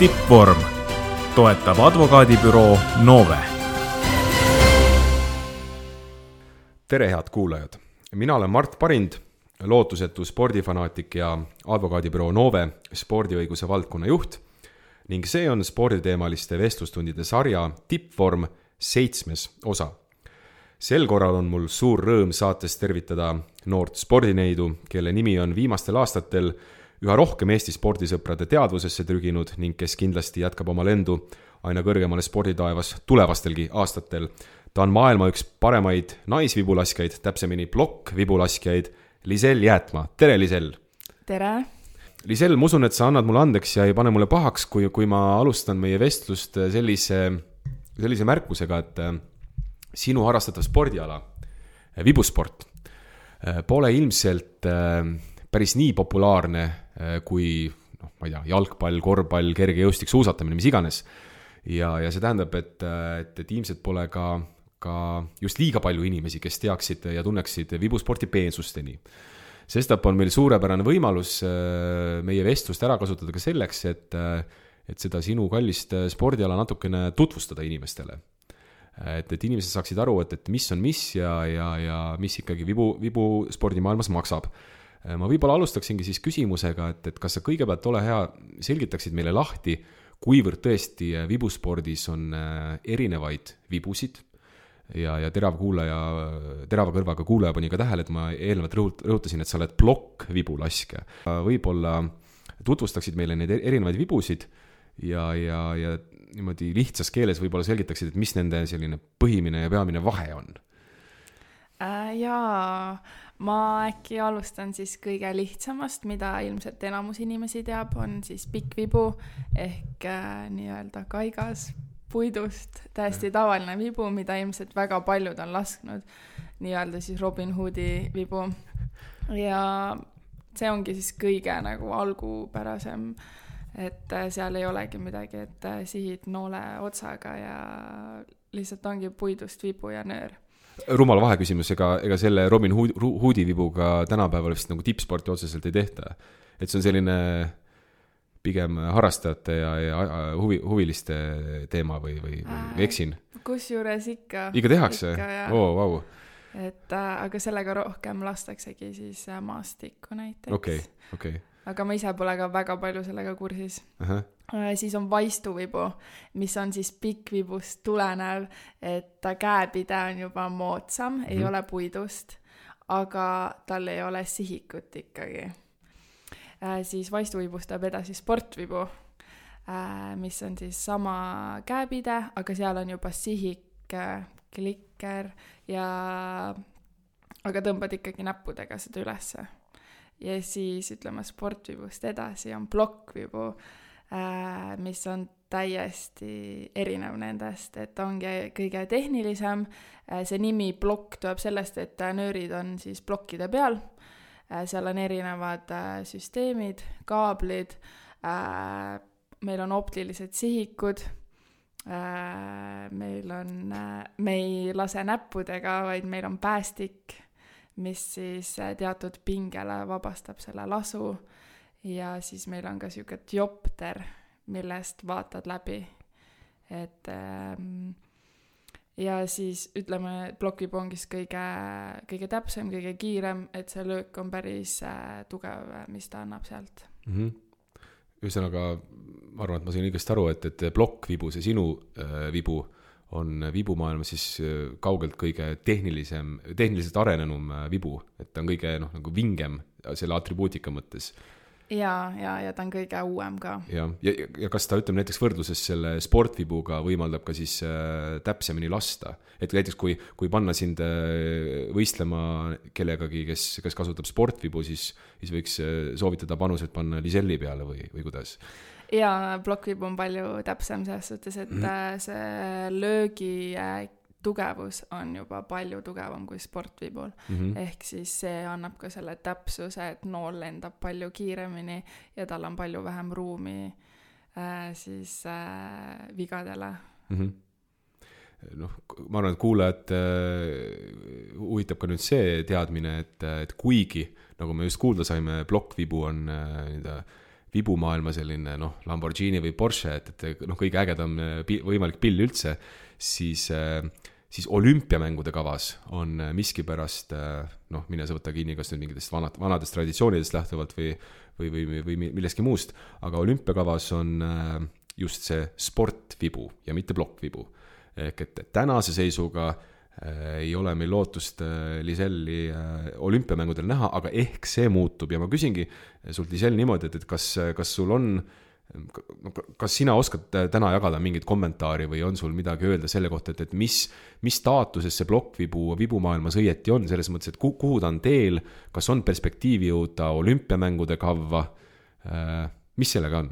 Tippvorm toetab advokaadibüroo Nove. Tere head kuulajad! Mina olen Mart Parind, lootusetu spordifanaatik ja advokaadibüroo Nove spordiõiguse valdkonna juht ning see on sporditeemaliste vestlustundide sarja Tippvorm 7. osa. Sel korral on mul suur rõõm saates tervitada noort spordineidu, kelle nimi on viimastel aastatel üha rohkem Eesti spordisõprade teadvusesse trüginud ning kes kindlasti jätkab oma lendu aina kõrgemale sporditaevas tulevastelgi aastatel. Ta on maailma üks paremaid naisvibulaskjaid, täpsemini plokkvibulaskjaid, Lisel Jäätma. Tere, Lisel! Tere! Lisel, ma usun, et sa annad mulle andeks ja ei pane mulle pahaks, kui ma alustan meie vestlust sellise märkusega, et sinu harrastatav spordiala, vibusport, pole ilmselt päris nii populaarne kui ma ei tea, jalgpall, korvpall, kergejõustik, suusatamine, mis iganes. Ja see tähendab, et ilmselt pole ka just liiga palju inimesi, kes teaksid ja tunneksid vibusporti peensusteni. Sestap on meil suurepärane võimalus meie vestlust ära kasutada ka selleks, et seda sinu kallist spordiala natukene tutvustada inimestele. Et inimesed saaksid aru, et mis on mis ja mis ikkagi vibu spordimaailmas maksab. Ma võib-olla alustaksingi siis küsimusega, et kas sa kõigepealt ole hea, selgitaksid meile lahti, kuivõrd tõesti vibuspordis on erinevaid vibusid ja terava kõrvaga kuulaja pani ka tähele, et ma eelnevalt rõhutasin, et sa oled plokkvibulaskja. Võib-olla tutvustaksid meile neid erinevaid vibusid ja niimoodi lihtsas keeles võib-olla selgitaksid, et mis nende selline põhimine ja peamine vahe on. Jaa, ma äkki alustan siis kõige lihtsamast, mida ilmselt enamus inimesi teab, on siis pikkvibu ehk nii-öelda kaigas puidust, täiesti tavaline vibu, mida ilmselt väga paljud on lasknud, nii-öelda siis Robin Hoodi vibu. Ja see ongi siis kõige nagu algupärasem, et seal ei olegi midagi, et sihid noole otsaga ja lihtsalt ongi puidust vibu ja nöör. Rumal vaheküsimus, ega selle Robin Hoodi vibuga tänapäeval vist nagu tippsporti otseselt ei tehta. Et see on selline pigem harrastajate ja huviliste teema või eksin? Kusjuures ikka. Ikka tehakse? Wow. Aga sellega rohkem lastaksegi siis maastikku näiteks. Okay. Aga ma ise pole ka väga palju sellega kursis. Siis on vaistuvibu, mis on siis pikkvibust tulenev, et käepide on juba moodsam, ei ole puidust, aga tal ei ole sihikut ikkagi. Siis vaistuvibust tuleb edasi sportvibu, mis on siis sama käepide, aga seal on juba sihik, klikker aga tõmbad ikkagi näppudega seda ülesse. Ja siis ütleme sportvibust edasi on plokkvibu, mis on täiesti erinev nendest, et ongi kõige tehnilisem. See nimi plokk tuleb sellest, et nöörid on siis plokkide peal. Seal on erinevad süsteemid, kaablid, meil on optilised sihikud, me ei lase näppudega, vaid meil on päästik, mis siis teatud pingele vabastab selle lasu ja siis meil on ka siuke diopter, millest vaatad läbi. Ja siis ütleme, plokkvibu ongi kõige täpsem, kõige kiirem, et see löök on päris tugev, mis ta annab sealt. Ühesõnaga, ma arvan, et ma sain õigesti aru, et plokkvibu, see sinu vibu, on vibumaailma siis kaugelt kõige tehniliselt arenenum vibu, et ta on kõige nagu vingem selle atribuutika mõttes. Ja ta on kõige uuem ka. Ja kas ta, ütleme näiteks võrdluses selle sportvibuga võimaldab ka siis täpsemini lasta? Et näiteks kui panna sind võistlema kellegagi, kes kasutab sportvibu, siis võiks soovitada panused panna Liselli peale või kuidas? Ja plokkvibu on palju täpsem selles suhtes, et see löögi tugevus on juba palju tugevam kui sportvibul. Ehk siis see annab ka selle täpsuse, et nool lendab palju kiiremini ja tal on palju vähem ruumi siis vigadele. Ma arvan, et kuulajad huvitab ka nüüd see teadmine, et kuigi, nagu me just kuulda saime, plokkvibu on vibumaailma selline noh, Lamborghini või Porsche, et noh, kõige ägedam võimalik pill üldse, siis olümpiamängude kavas on miskipärast, noh, mine sa võta kinni, kas nüüd mingitest vanadest traditsioonidest lähtuvalt või millestki muust, aga olümpiakavas on just see sportvibu ja mitte plokkvibu. Ehk et tänase seisuga ei ole meil lootust Liselli olümpiamängudel näha, aga ehk see muutub ja ma küsingi sult, Lisel, niimoodi, et kas sul on, kas sina oskad täna jagada mingit kommentaari või on sul midagi öelda selle kohta, et mis staatuses see vibumaailmas õieti on, selles mõttes, et kuhu ta on teel, kas on perspektiivi jõuda olümpiamängude kavva, mis sellega on?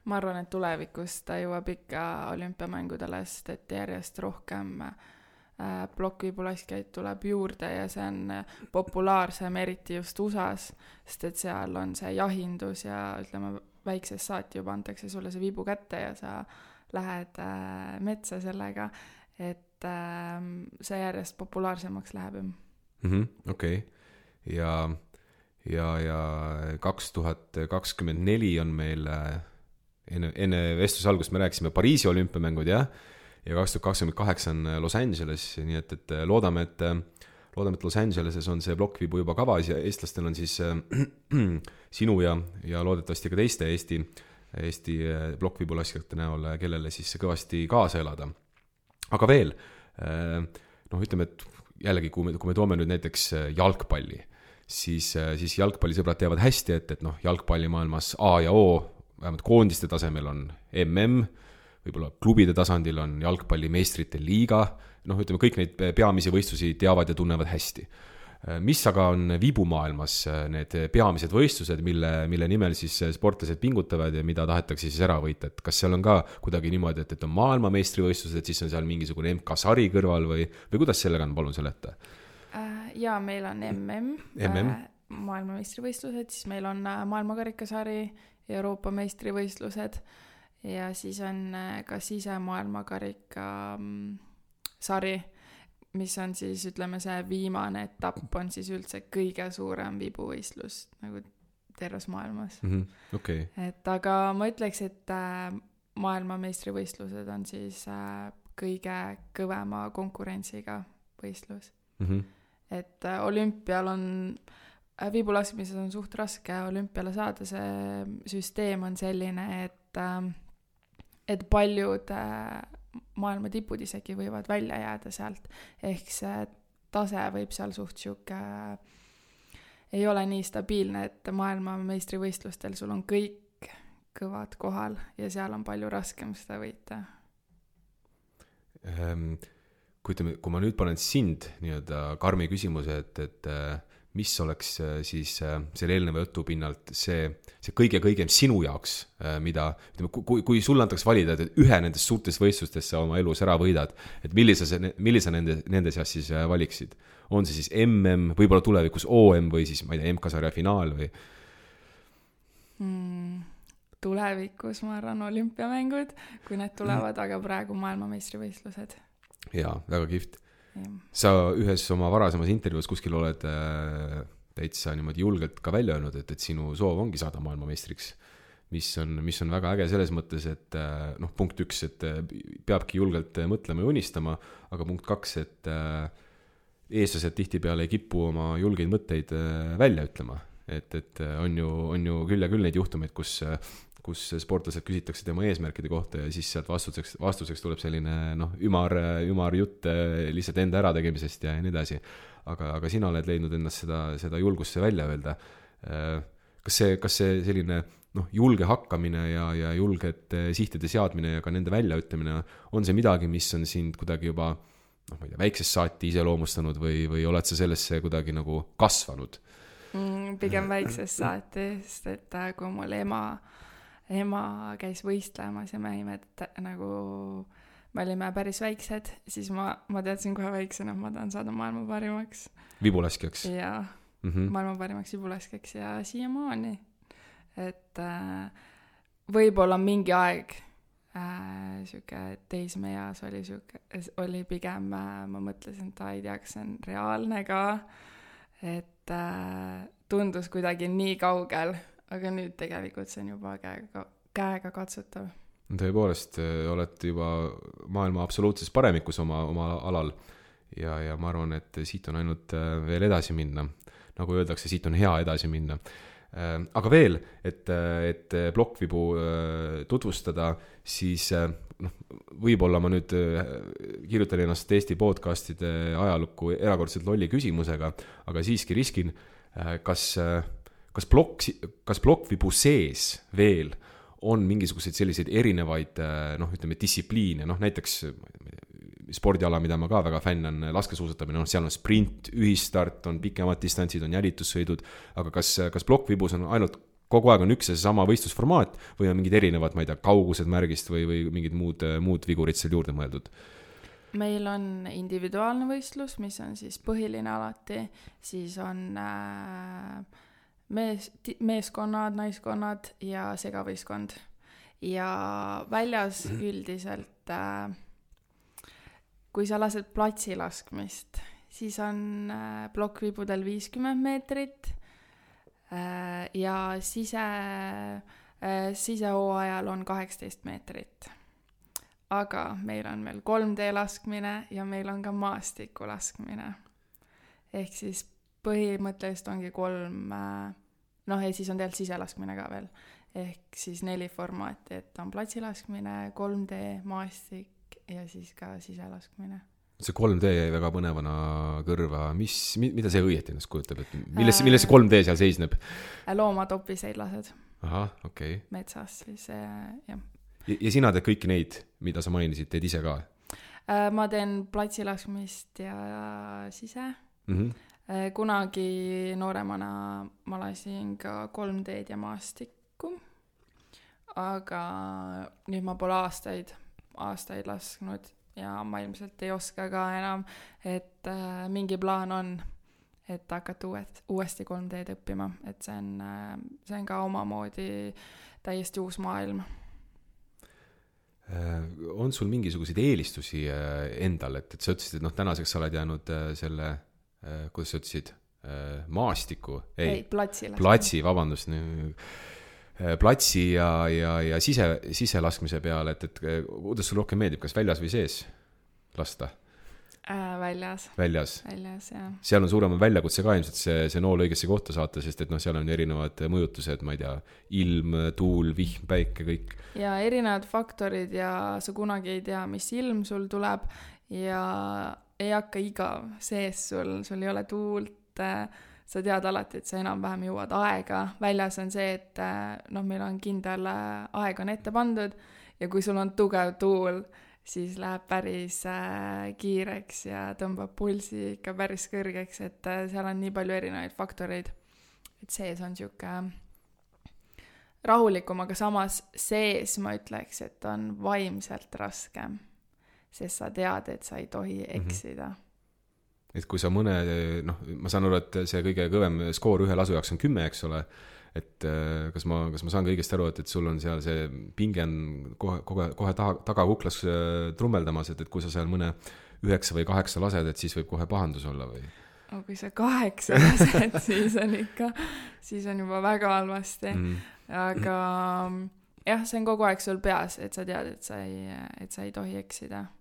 Ma arvan, et tulevikus ta jõuab ikka olümpiamängudele, sest et järjest rohkem plokkvibulaskjaid tuleb juurde ja see on populaarsem, eriti just USAs, sest et seal on see jahindus ja ütleme, väiksest saati juba antakse sulle see vibu kätte ja sa lähed metsa sellega, et see järjest populaarsemaks läheb. Okei. Ja 2024 on meil enne vestluse algust me rääkisime Pariisi olümpiamängud, jah, ja 2028 on Los Angeles, nii et loodame, et Los Angeleses on see plokkvibu juba kavas ja eestlastel on siis sinu ja loodetavasti ka teiste Eesti plokkvibulaskjate näol, kellele siis kõvasti kaasa elada. Aga veel, noh, ütleme, et jällegi, kui me toome nüüd näiteks jalgpalli, siis jalgpallisõbrad teavad hästi, et noh, jalgpallimaailmas A ja O, vähemalt koondiste tasemel on MM, võib-olla klubide tasandil on jalgpalli meistrite liiga, noh, ütleme, kõik neid peamisi võistlusi teavad ja tunnevad hästi. Mis aga on vibumaailmas need peamised võistlused, mille nimel siis sportlased pingutavad ja mida tahetakse siis ära võita, et kas seal on ka kuidagi niimoodi, et on maailmameistrivõistlused, siis on seal mingisugune MK-sari kõrval või kuidas sellega on, palun seleta? Ja meil on maailmameistrivõistlused, siis meil on maailmakarikasari, Euroopa meistrivõistlused ja siis on ka sisemaailmakarika sari, mis on siis, ütleme, see viimane etapp on siis üldse kõige suurem vibuvõistlus nagu terves maailmas. Okay. Et aga ma ütleks, et maailmameistrivõistlused on siis kõige kõvema konkurentsiga võistlus. Et olümpial on vibulaskmises on suht raske olümpiale saada, see süsteem on selline, et paljud maailma tipud isegi võivad välja jääda sealt, ehk see tase võib seal suht siuke ei ole nii stabiilne, et maailma meistrivõistlustel sul on kõik kõvad kohal ja seal on palju raskem seda võita. Kui ma nüüd panen sind nii-öelda karmi küsimuse, et mis oleks siis selle eelneva jutu pinnalt see kõige-kõigem sinu jaoks, mida, ütleme, kui sulle antaks valida, et ühe nendest suurtest võistlustest sa oma elus ära võidad, et millise nende seas siis valiksid? On see siis MM, võib-olla tulevikus OM või siis, ma ei tea, MK-sarja finaal või? Tulevikus, ma arvan, olümpiamängud, kui need tulevad, aga praegu maailmameistrivõistlused. Jaa, väga kihvt. Sa ühes oma varasemas intervjuus kuskil oled täitsa niimoodi julgelt ka välja öelnud, et sinu soov ongi saada maailmameistriks, mis on väga äge selles mõttes, et noh, punkt 1, et peabki julgelt mõtlema ja unistama, aga punkt 2, et eestlased tihtipeale ei kipu oma julgeid mõtteid välja ütlema, et on ju küll ja küll neid juhtumeid, kus sportlased küsitakse tema eesmärkide kohta ja siis sealt vastuseks tuleb selline ümar jutt lihtsalt enda ärategemisest ja nii edasi. Aga sina oled leidnud ennast seda julgusse välja öelda. Kas see selline julge hakkamine ja julgete sihtide seadmine ja ka nende väljaütlemine on see midagi, mis on sind kuidagi juba ma ei tea, väiksest saati iseloomustanud või oled sa sellesse kuidagi nagu kasvanud? Pigem väiksest saati, sest et kui mul ema käis võistlemas ja me olime päris väiksed, siis ma teadsin kohe väiksena, et ma tahan saada maailma parimaks. Vibulaskjaks? Jaa, maailma parimaks vibulaskjaks ja siiamaani. Et võib-olla mingi aeg teismeeas oli pigem, ma mõtlesin, et ei tea, kas see on reaalne ka, et tundus kuidagi nii kaugel, aga nüüd tegelikult see on juba käega katsutav. Tõepoolest, olete juba maailma absoluutses paremikus oma alal ja ma arvan, et siit on ainult veel edasi minna. Nagu öeldakse, siit on hea edasi minna. Aga veel, et plokkvibu tutvustada, siis võib-olla ma nüüd kirjutan ennast Eesti podcastide ajalukku erakordselt lolli küsimusega, aga siiski riskin, kas plokkvibu sees veel on mingisuguseid selliseid erinevaid ütleme distsipliine, näiteks spordiala, mida ma ka väga fänn on, laskesuusatamine, seal on sprint, ühistart, on pikemad distantsid, on jälitussõidud, aga kas plokkvibus on ainult kogu aeg on üks ja sama võistlusformaat või on mingid erinevad, ma ei tea, kaugused märgist või mingid muud vigurid seal juurde mõeldud? Meil on individuaalne võistlus, mis on siis põhiline alati, siis on meeskonnad, naiskonnad ja segavõistkond. Ja väljas üldiselt, kui sa lased platsilaskmist, siis on plokkvibudel 50 meetrit ja sisehooajal on 18 meetrit. Aga meil on veel 3D laskmine ja meil on ka maastiku laskmine. Ehk siis põhimõtteliselt ongi 3, ja siis on tegelikult siselaskmine ka veel. Ehk siis 4 formaati, et on platsilaskmine, 3D, maastik ja siis ka siselaskmine. See 3D jäi väga põnevana kõrva. Mida see õieti ennast kujutab? Milles see 3D seal seisneb? Loomatopiseid lased. Aha, okei. Metsas siis, jah. Ja sina teed kõiki neid, mida sa mainisid, teed ise ka? Ma teen platsilaskmist ja sise. Kunagi nooremana ma lasin ka 3D-d ja maastikku. Aga nüüd ma pole aastaid lasknud ja ma ilmselt ei oska ka enam, et mingi plaan on, et hakata uuesti 3D-d õppima, et see on ka omamoodi täiesti uus maailm. On sul mingisuguseid eelistusi endal, et sa ütlesid, et tänaseks sa oled jäänud selle, kuidas sa ütlesid, maastiku? Ei, platsi, vabandust, platsi ja siselaskmise peale, et kuidas sul rohkem meeldib, kas väljas või sees lasta? Väljas, jah. Seal on suuremad väljakutse ka ilmselt see nool õigesse kohta saata, sest et seal on erinevad mõjutused, ma ei tea, ilm, tuul, vihm, päike, kõik. Ja erinevad faktorid ja sa kunagi ei tea, mis ilm sul tuleb ja ei hakka igav sees sul ei ole tuult, sa tead alati, et sa enam-vähem jõuad aega. Väljas on see, et meil on kindel aeg on ette pandud ja kui sul on tugev tuul, siis läheb päris kiireks ja tõmbab pulsi ikka päris kõrgeks, et seal on nii palju erinevaid faktoreid, et sees on siuke rahulikum, aga samas sees ma ütleks, et on vaimselt raskem, sest sa tead, et sa ei tohi eksida. Et kui sa ma saan aru, et see kõige kõvem skoor ühe lasu jaoks on 10, eks ole, et kas ma saan ka õigesti aru, et sul on seal see pinge on kohe taga kuklas trummeldamas, et kui sa seal mõne 9 või 8 lased, et siis võib kohe pahandus olla või? Kui sa 8 lased, siis on juba väga halvasti. Aga jah, see on kogu aeg sul peas, et sa tead, et sa ei tohi eksida.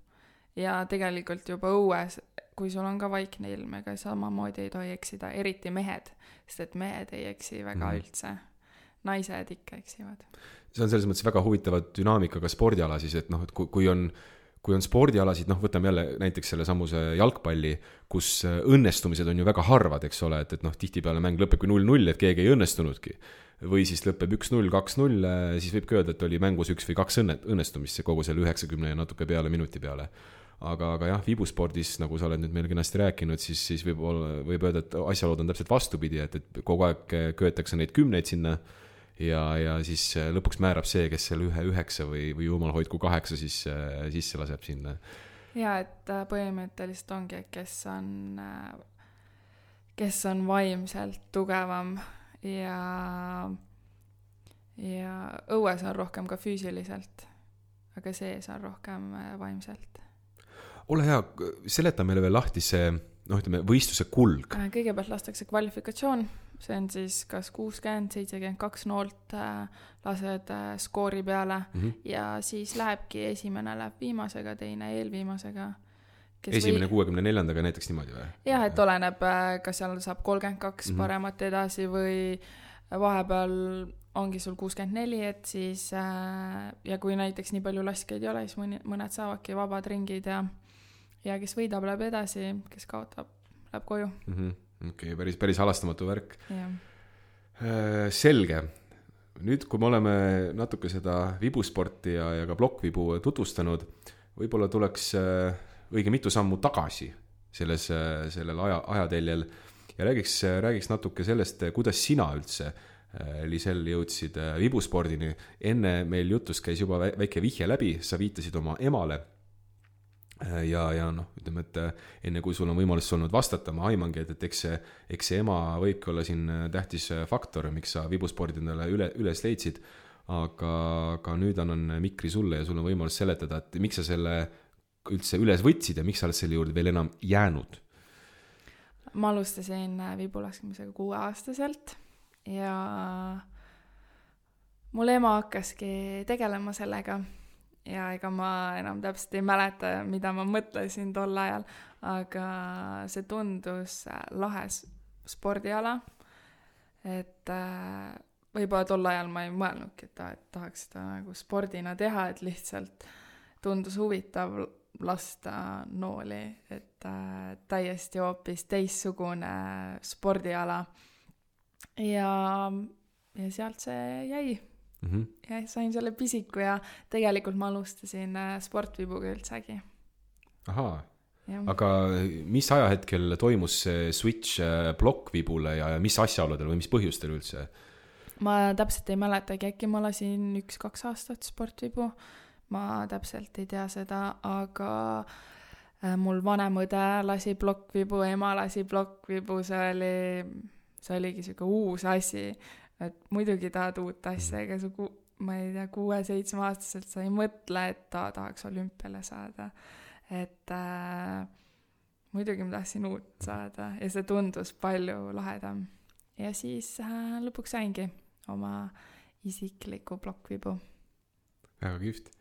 Ja tegelikult juba õues, kui sul on ka vaikne ilm, ega samamoodi ei tohi eksida, eriti mehed, sest et mehed ei eksi väga üldse. Naised ikka eksivad. See on selles mõttes väga huvitava dünaamikaga spordiala siis, et kui on spordialasid, võtame jälle näiteks selle samuse jalgpalli, kus õnnestumised on ju väga harvad, eks ole, et tihtipeale mäng lõpebki 0-0, et keegi ei õnnestunudki. Või siis lõpeb 1-0, 2-0, siis võib öelda, et oli mängus 1 või 2 õnnestumist kogu selle 90 ja natuke peale minuti peale. Aga jah, vibuspordis, nagu sa oled nüüd meil kenasti rääkinud, siis võib öelda, et asjalood on täpselt vastupidi, et kogu aeg köetakse neid 10 sinna ja siis lõpuks määrab see, kes selle 1-9 või jumal hoidku 8 siis sisse laseb sinna. Ja, et põhimõtteliselt ongi, kes on vaimselt tugevam ja õues on rohkem ka füüsiliselt, aga sees on rohkem vaimselt. Ole hea, seleta meile veel lahti see võistluse kulg. Kõigepealt lastakse kvalifikatsioon, see on siis kas 60-72 noolt lased skoori peale ja siis lähebki esimene läheb viimasega, teine eelviimasega. Esimene 64-ndaga näiteks niimoodi või? Jah, et oleneb, kas seal saab 32 paremat edasi või vahepeal ongi sul 64, et siis ja kui näiteks nii palju laskjaid ei ole, siis mõned saavadki vabad ringid ja kes võidab, läheb edasi, kes kaotab, läheb koju. Okei, päris halastamatu värk. Ja. Selge. Nüüd, kui me oleme natuke seda vibusporti ja ka plokkvibu tutvustanud, võib-olla tuleks õige mitu sammu tagasi sellel ajateljel ja räägiks natuke sellest, kuidas sina üldse, Lisel, jõudsid vibuspordini. Enne meil jutust käis juba väike vihje läbi, sa viitasid oma emale ja ütleme, et enne kui sul on võimalus olnud vastata, ma aimangi, et eks see ema võibki olla siin tähtis faktor, miks sa vibuspordi endale üles leidsid, aga nüüd annan mikri sulle ja sul on võimalus seletada, et miks sa selle üldse üles võtsid ja miks sa oled selle juurde veel enam jäänud? Ma alustasin vibulaskmisega 6-aastaselt ja mul ema hakkaski tegelema sellega ja ega ma enam täpselt ei mäleta, mida ma mõtlesin tol ajal, aga see tundus lahes spordiala, et võib-olla tol ajal ma ei mõelnudki, et tahaks seda nagu spordina teha, et lihtsalt tundus huvitav lasta nooli, et täiesti hoopis teissugune spordiala ja sealt see jäi ja sain selle pisiku ja tegelikult ma alustasin sportvibuga üldsegi. Ahaa, aga mis ajahetkel toimus see switch plokkvibule ja mis asjaoludel või mis põhjustel üldse? Ma täpselt ei mäletagi, äkki ma lasin 1-2 aastat sportvibu. Ma täpselt ei tea seda, aga mul vanem õde lasi plokkvibu, ema lasi plokkvibu, see oligi siuke uus asi, et muidugi tahad uut asja, ega ma ei tea, 6-7 aastaselt sa ei mõtle, et tahaks olümpiale saada, et muidugi ma tahtsin uut saada ja see tundus palju lahedam ja siis lõpuks saingi oma isikliku plokkvibu. Väga kihvt.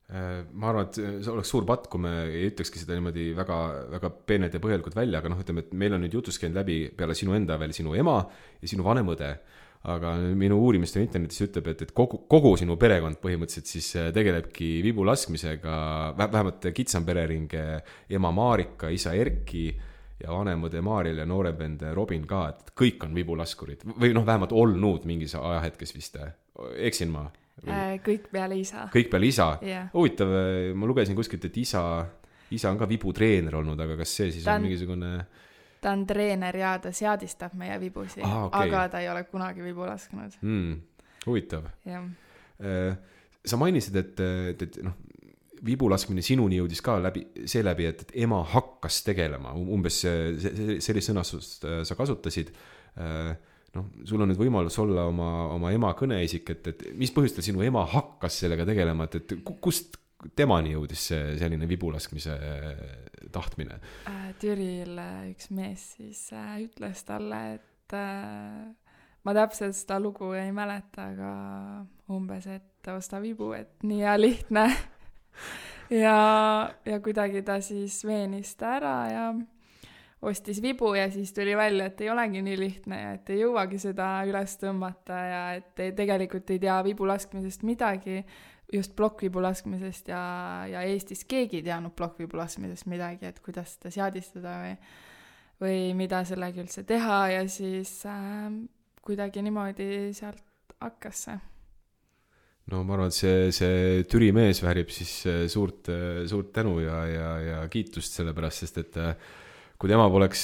Ma arvan, et see oleks suur patt, kui me ei ütlekski seda niimoodi väga, väga peenelt ja põhjalikult välja, aga ütleme, et meil on nüüd jutus käinud läbi peale sinu enda veel sinu ema ja sinu vanem õde, aga minu uurimiste internetis ütleb, et kogu sinu perekond põhimõtteliselt siis tegelebki vibulaskmisega, vähemalt kitsam perering, ema Maarika, isa Erki ja vanem õde Maaril ja noorempend Robin ka, et kõik on vibulaskurid või vähemalt olnud mingis ajahetkes vist, eksin ma? Kõik peale isa. Kõik peale isa? Yeah. Huvitav, ma lugesin kuskilt, et isa on ka vibutreener olnud, aga kas see siis on mingisugune... Ta on treener ja ta seadistab meie vibusi, aga ta ei ole kunagi vibu lasknud. Huvitav. Yeah. Sa mainisid, et vibulaskmine sinuni jõudis ka seeläbi, et ema hakkas tegelema, umbes sellist sõnastust sa kasutasid. Sul on nüüd võimalus olla oma ema kõneisik, et mis põhjustel sinu ema hakkas sellega tegelema, et kust temani jõudis selline vibulaskmise tahtmine? Türil üks mees siis ütles talle, et ma täpselt seda lugu ei mäleta, aga umbes, et osta vibu, et nii ja lihtne ja kuidagi ta siis veenis ta ära ja ostis vibu ja siis tuli välja, et ei olegi nii lihtne ja et ei jõuagi seda üles tõmmata ja et tegelikult ei tea vibu laskmisest midagi, just plokkvibu laskmisest ja Eestis keegi ei teadnud plokkvibu laskmisest midagi, et kuidas seda seadistada või mida sellega üldse teha ja siis kuidagi niimoodi sealt hakkas see. No ma arvan, et see Türi mees väärib siis suurt tänu ja kiitust selle pärast, sest et kui tema poleks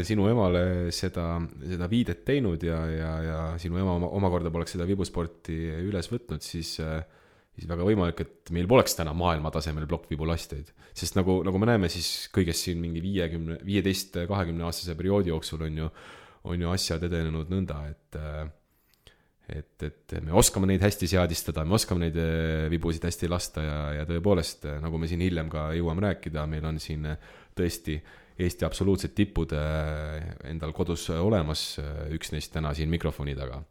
sinu emale seda viidet teinud ja sinu ema omakorda poleks seda vibusporti üles võtnud, siis väga võimalik, et meil poleks täna maailma tasemel plokkvibulastjaid. Sest nagu me näeme, siis kõigest siin mingi 15-20 aastase perioodi jooksul on ju asjad edenenud nõnda, et me oskame neid hästi seadistada, me oskame neid vibusid hästi lasta ja tõepoolest, nagu me siin hiljem ka jõuame rääkida, meil on siin tõesti Eesti absoluutsed tipud endal kodus olemas, üks neist täna siin mikrofoni taga.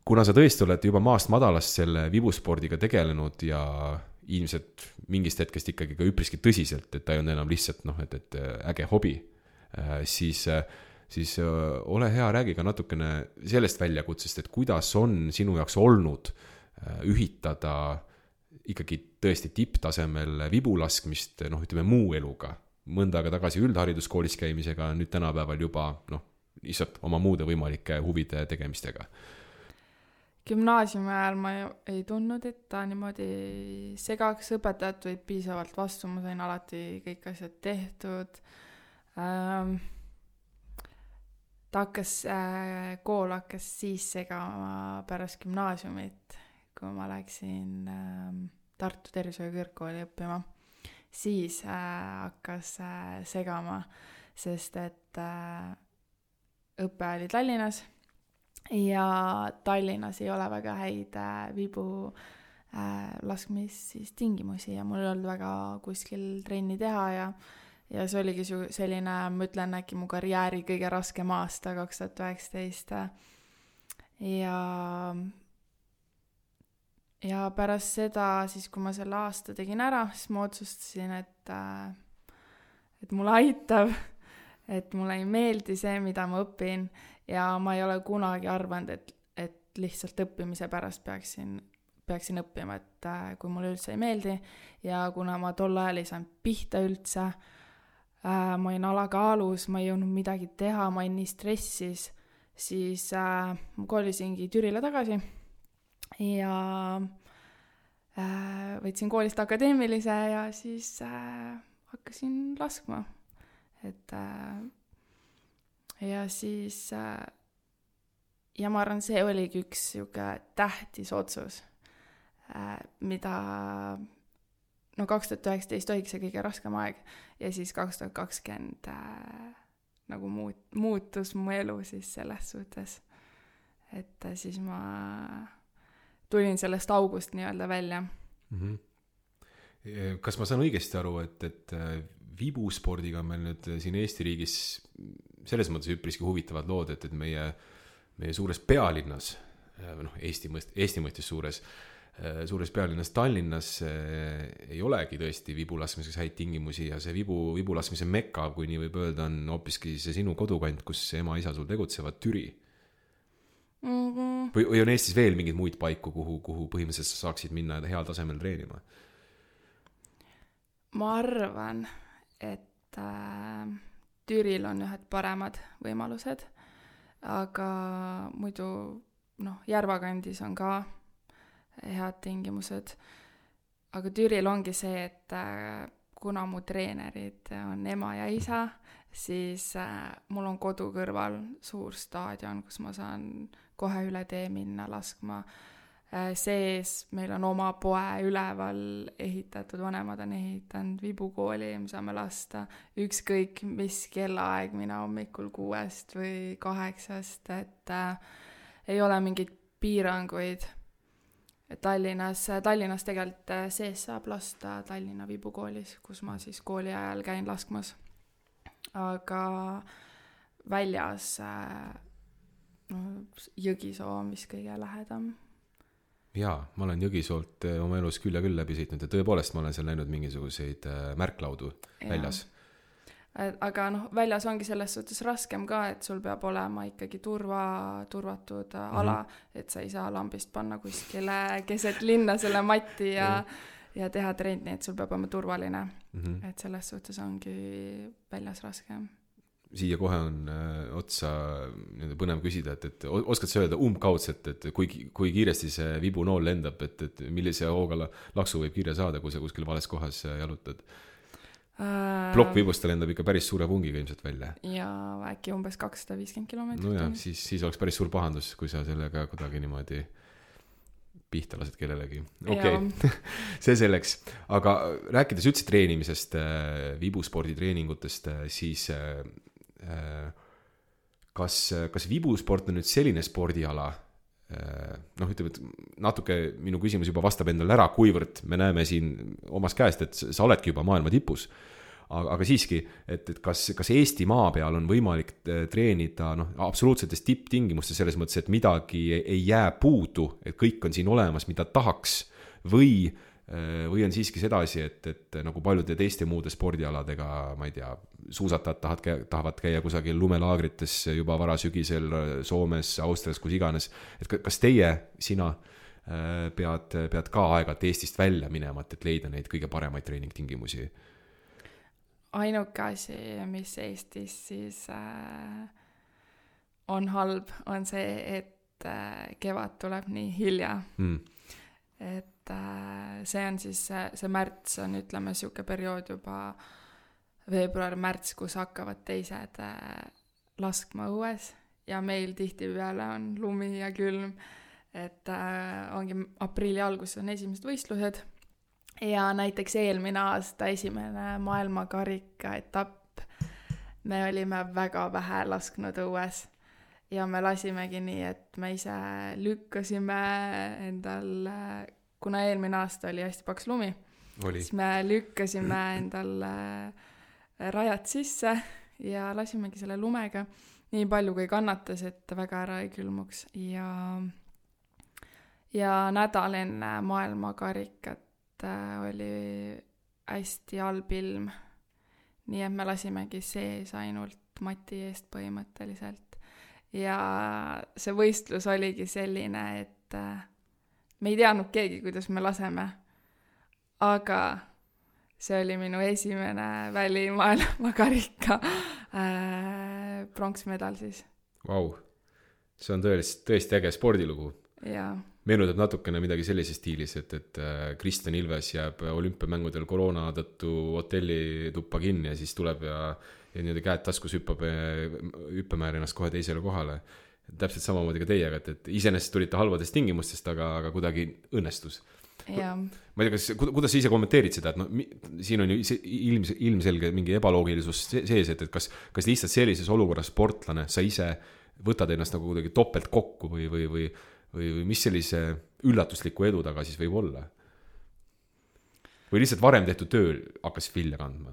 Kuna sa tõesti oled juba maast madalast selle vibuspordiga tegelenud ja ilmselt mingist hetkest ikkagi ka üpriski tõsiselt, et ta ei ole enam lihtsalt et äge hobi, siis ole hea, räägi ka natukene sellest väljakutsest, et kuidas on sinu jaoks olnud ühitada ikkagi tõesti tipptasemel vibulaskmist, ütleme muu eluga, mõnda aega tagasi üldhariduskoolis käimisega, nüüd tänapäeval juba, lihtsalt oma muude võimalike huvide tegemistega. Gümnaasiumi ajal ma ei tundnud, et ta niimoodi segaks, õpetajat või piisavalt vastu, ma sain alati kõik asjad tehtud. Kool hakkas siis segama pärast gümnaasiumit, kui ma läksin Tartu tervishoiu kõrgkooli õppima, siis hakkas segama, sest et õpe oli Tallinnas ja Tallinnas ei ole väga häid vibu laskmistingimusi ja mul ei olnud väga kuskil trenni teha ja see oligi selline, ma ütlen äkki mu karjääri kõige raskem aasta 2019 ja pärast seda, siis kui ma selle aasta tegin ära, siis ma otsustasin, et mulle aitab, et mulle ei meeldi see, mida ma õpin ja ma ei ole kunagi arvanud, et lihtsalt õppimise pärast peaksin õppima, et kui mulle üldse ei meeldi ja kuna ma tol ajal ei saanud pihta üldse, ma olin alakaalus, ma ei jõudnud midagi teha, ma olin nii stressis, siis ma kolisingi Türile tagasi ja võtsin koolist akadeemilise ja siis hakkasin laskma. Ja siis ja ma arvan, see oligi üks tähtis otsus, mida 2019 oligi see kõige raskem aeg ja siis 2020 nagu muutus mu elu siis selles suhtes, et siis ma tulin sellest august nii-öelda välja. Kas ma saan õigesti aru, et vibuspordiga on meil nüüd siin Eesti riigis selles mõttes üpriski huvitavad lood, et meie suures pealinnas, Eesti mõistes suures pealinnas Tallinnas ei olegi tõesti vibulaskmiseks häid tingimusi ja see vibulaskmise mekka, kui nii võib öelda, on hoopiski see sinu kodukant, kus ema-isa sul tegutsevad, Türi. Või on Eestis veel mingid muid paiku, kuhu põhimõtteliselt sa saaksid minna heal tasemel treenima? Ma arvan, et Türil on ühed paremad võimalused, aga muidu Järvakandis on ka head tingimused. Aga Türil ongi see, et kuna mu treenerid on ema ja isa, siis mul on kodu kõrval suur staadion, kus ma saan kohe üle tee minna laskma. Sees meil on oma poe üleval ehitatud, vanemad on ehitanud vibukooli, me saame lasta ükskõik mis kellaaeg, mina hommikul 6 või 8, et ei ole mingeid piiranguid. Tallinnas tegelikult sees saab lasta Tallinna vibukoolis, kus ma siis kooli ajal käin laskmas. Aga väljas Jõgisoo on vist kõige lähedam. Jaa, ma olen Jõgisoolt oma elus küll ja küll läbi sõitnud ja tõepoolest ma olen seal näinud mingisuguseid märklaudu väljas. Aga väljas ongi selles suhtes raskem ka, et sul peab olema ikkagi turvatud ala, et sa ei saa lambist panna kuskile keset linna selle matti ja teha trenni, et sul peab olema turvaline. Et selles suhtes ongi väljas raskem. Siia kohe on otsa põnev küsida, et oskad sa öelda umbkaudselt, et kui kiiresti see vibunool lendab, et millise hooga laksu võib kirja saada, kui sa kuskil vales kohas jalutad? Plokkvibust lendab ikka päris suure pungiga ilmselt välja. Ja äkki umbes 250 kilomeetrit. No jah, siis oleks päris suur pahandus, kui sa sellega kuidagi niimoodi pihta lased kellelegi. Okei, see selleks. Aga rääkides üldse treenimisest, vibuspordi treeningutest, siis kas vibusport on nüüd selline spordiala, ütleme, et natuke minu küsimus juba vastab endale ära, kuivõrd me näeme siin omas käest, et sa oledki juba maailma tipus, aga siiski, et kas Eesti maa peal on võimalik treenida absoluutsetes tipptingimustes selles mõttes, et midagi ei jää puudu, et kõik on siin olemas, mida tahaks, või on siiski sedasi, et nagu paljude teiste muude spordialadega, ma ei tea, suusatajad tahavad käia kusagil lumelaagrites juba varasügisel Soomes, Austrias, kus iganes, et kas sina pead ka aeg-ajalt Eestist välja minema, et leida neid kõige paremaid treeningtingimusi? Ainuke asi, mis Eestis siis on halb, on see, et kevad tuleb nii hilja. Et see on siis, see märts on, ütleme, siuke periood juba veebruar-märts, kus hakkavad teised laskma õues ja meil tihtipeale on lumi ja külm, et ongi aprilli alguses on esimesed võistlused ja näiteks eelmine aasta esimene maailmakarika etapp me olime väga vähe lasknud õues ja me lasimegi nii, et me ise lükkasime endal, kuna eelmine aasta oli hästi paks lumi, siis me lükkasime endal rajad sisse ja lasimegi selle lumega nii palju, kui kannatas, et väga ära ei külmuks ja nädal enne maailmakarikat oli hästi halb ilm, nii et me lasimegi sees ainult mati eest põhimõtteliselt ja see võistlus oligi selline, et me ei teadnud keegi, kuidas me laseme, aga see oli minu esimene välimaailmakarika pronksmedal siis. Vau, see on tõesti äge spordilugu. Jaa. Meenutab natukene midagi sellises stiilis, et Kristjan Ilves jääb olümpiamängudel koroona tõttu hotelli tuppa kinni ja siis tuleb ja niimoodi käed taskus hüppemäär ennast kohe teisele kohale. Täpselt samamoodi ka teiega, et iseenesest tulite halvadest tingimustest, aga kuidagi õnnestus. Jaa. Ma ei tea, kuidas sa ise kommenteerid seda, et siin on ju ilmselge mingi ebaloogilisus sees, et kas lihtsalt sellises olukorras sportlane, sa ise võtad ennast nagu kuidagi topelt kokku või mis sellise üllatusliku edu taga siis võib olla? Või lihtsalt varem tehtud töö hakkas vilja kandma?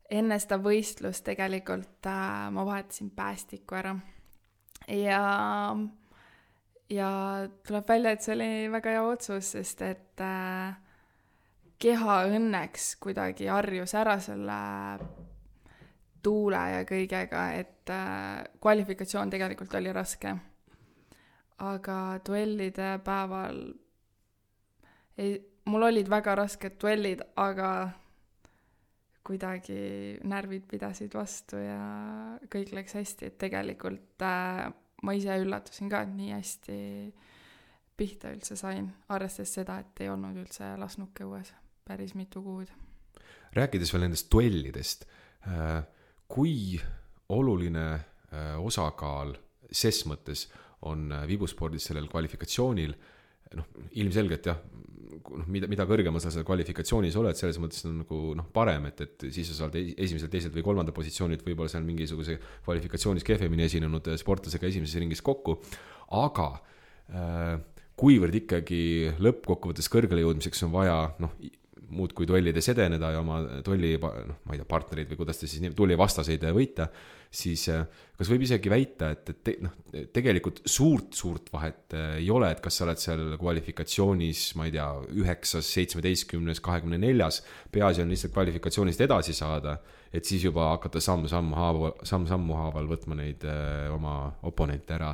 Enne seda võistlust tegelikult ma vahetasin päästiku ära ja tuleb välja, et see oli väga hea otsus, sest et keha õnneks kuidagi harjus ära selle tuule ja kõigega, et kvalifikatsioon tegelikult oli raske. Aga duellide päeval mul olid väga rasked duellid, aga kuidagi närvid pidasid vastu ja kõik läks hästi, et tegelikult ma ise üllatusin ka, et nii hästi pihta üldse sain, arvestades seda, et ei olnud üldse lasnuke õues päris mitu kuud. Rääkides veel nendest duellidest, kui oluline osakaal ses mõttes on vibuspordis sellel kvalifikatsioonil, ilmselgelt jah, mida kõrgemal sa kvalifikatsioonis oled, selles mõttes on nagu parem, et siis sa saad esimesel, teisel või kolmanda positsioonilt võib-olla seal mingisuguse kvalifikatsioonis kehvemini esinenud sportlasega esimeses ringis kokku, aga kuivõrd ikkagi lõppkokkuvõttes kõrgele jõudmiseks on vaja muud kui duellides edeneda ja oma duelli, ma ei tea, partnerid või kuidas ta siis duelli vastaseid võita, siis kas võib isegi väita, et tegelikult suurt vahet ei ole, et kas sa oled seal kvalifikatsioonis, ma ei tea, 9, 17, 24, peaasi on lihtsalt kvalifikatsioonist edasi saada, et siis juba hakata sammu haaval võtma neid oma oponente ära.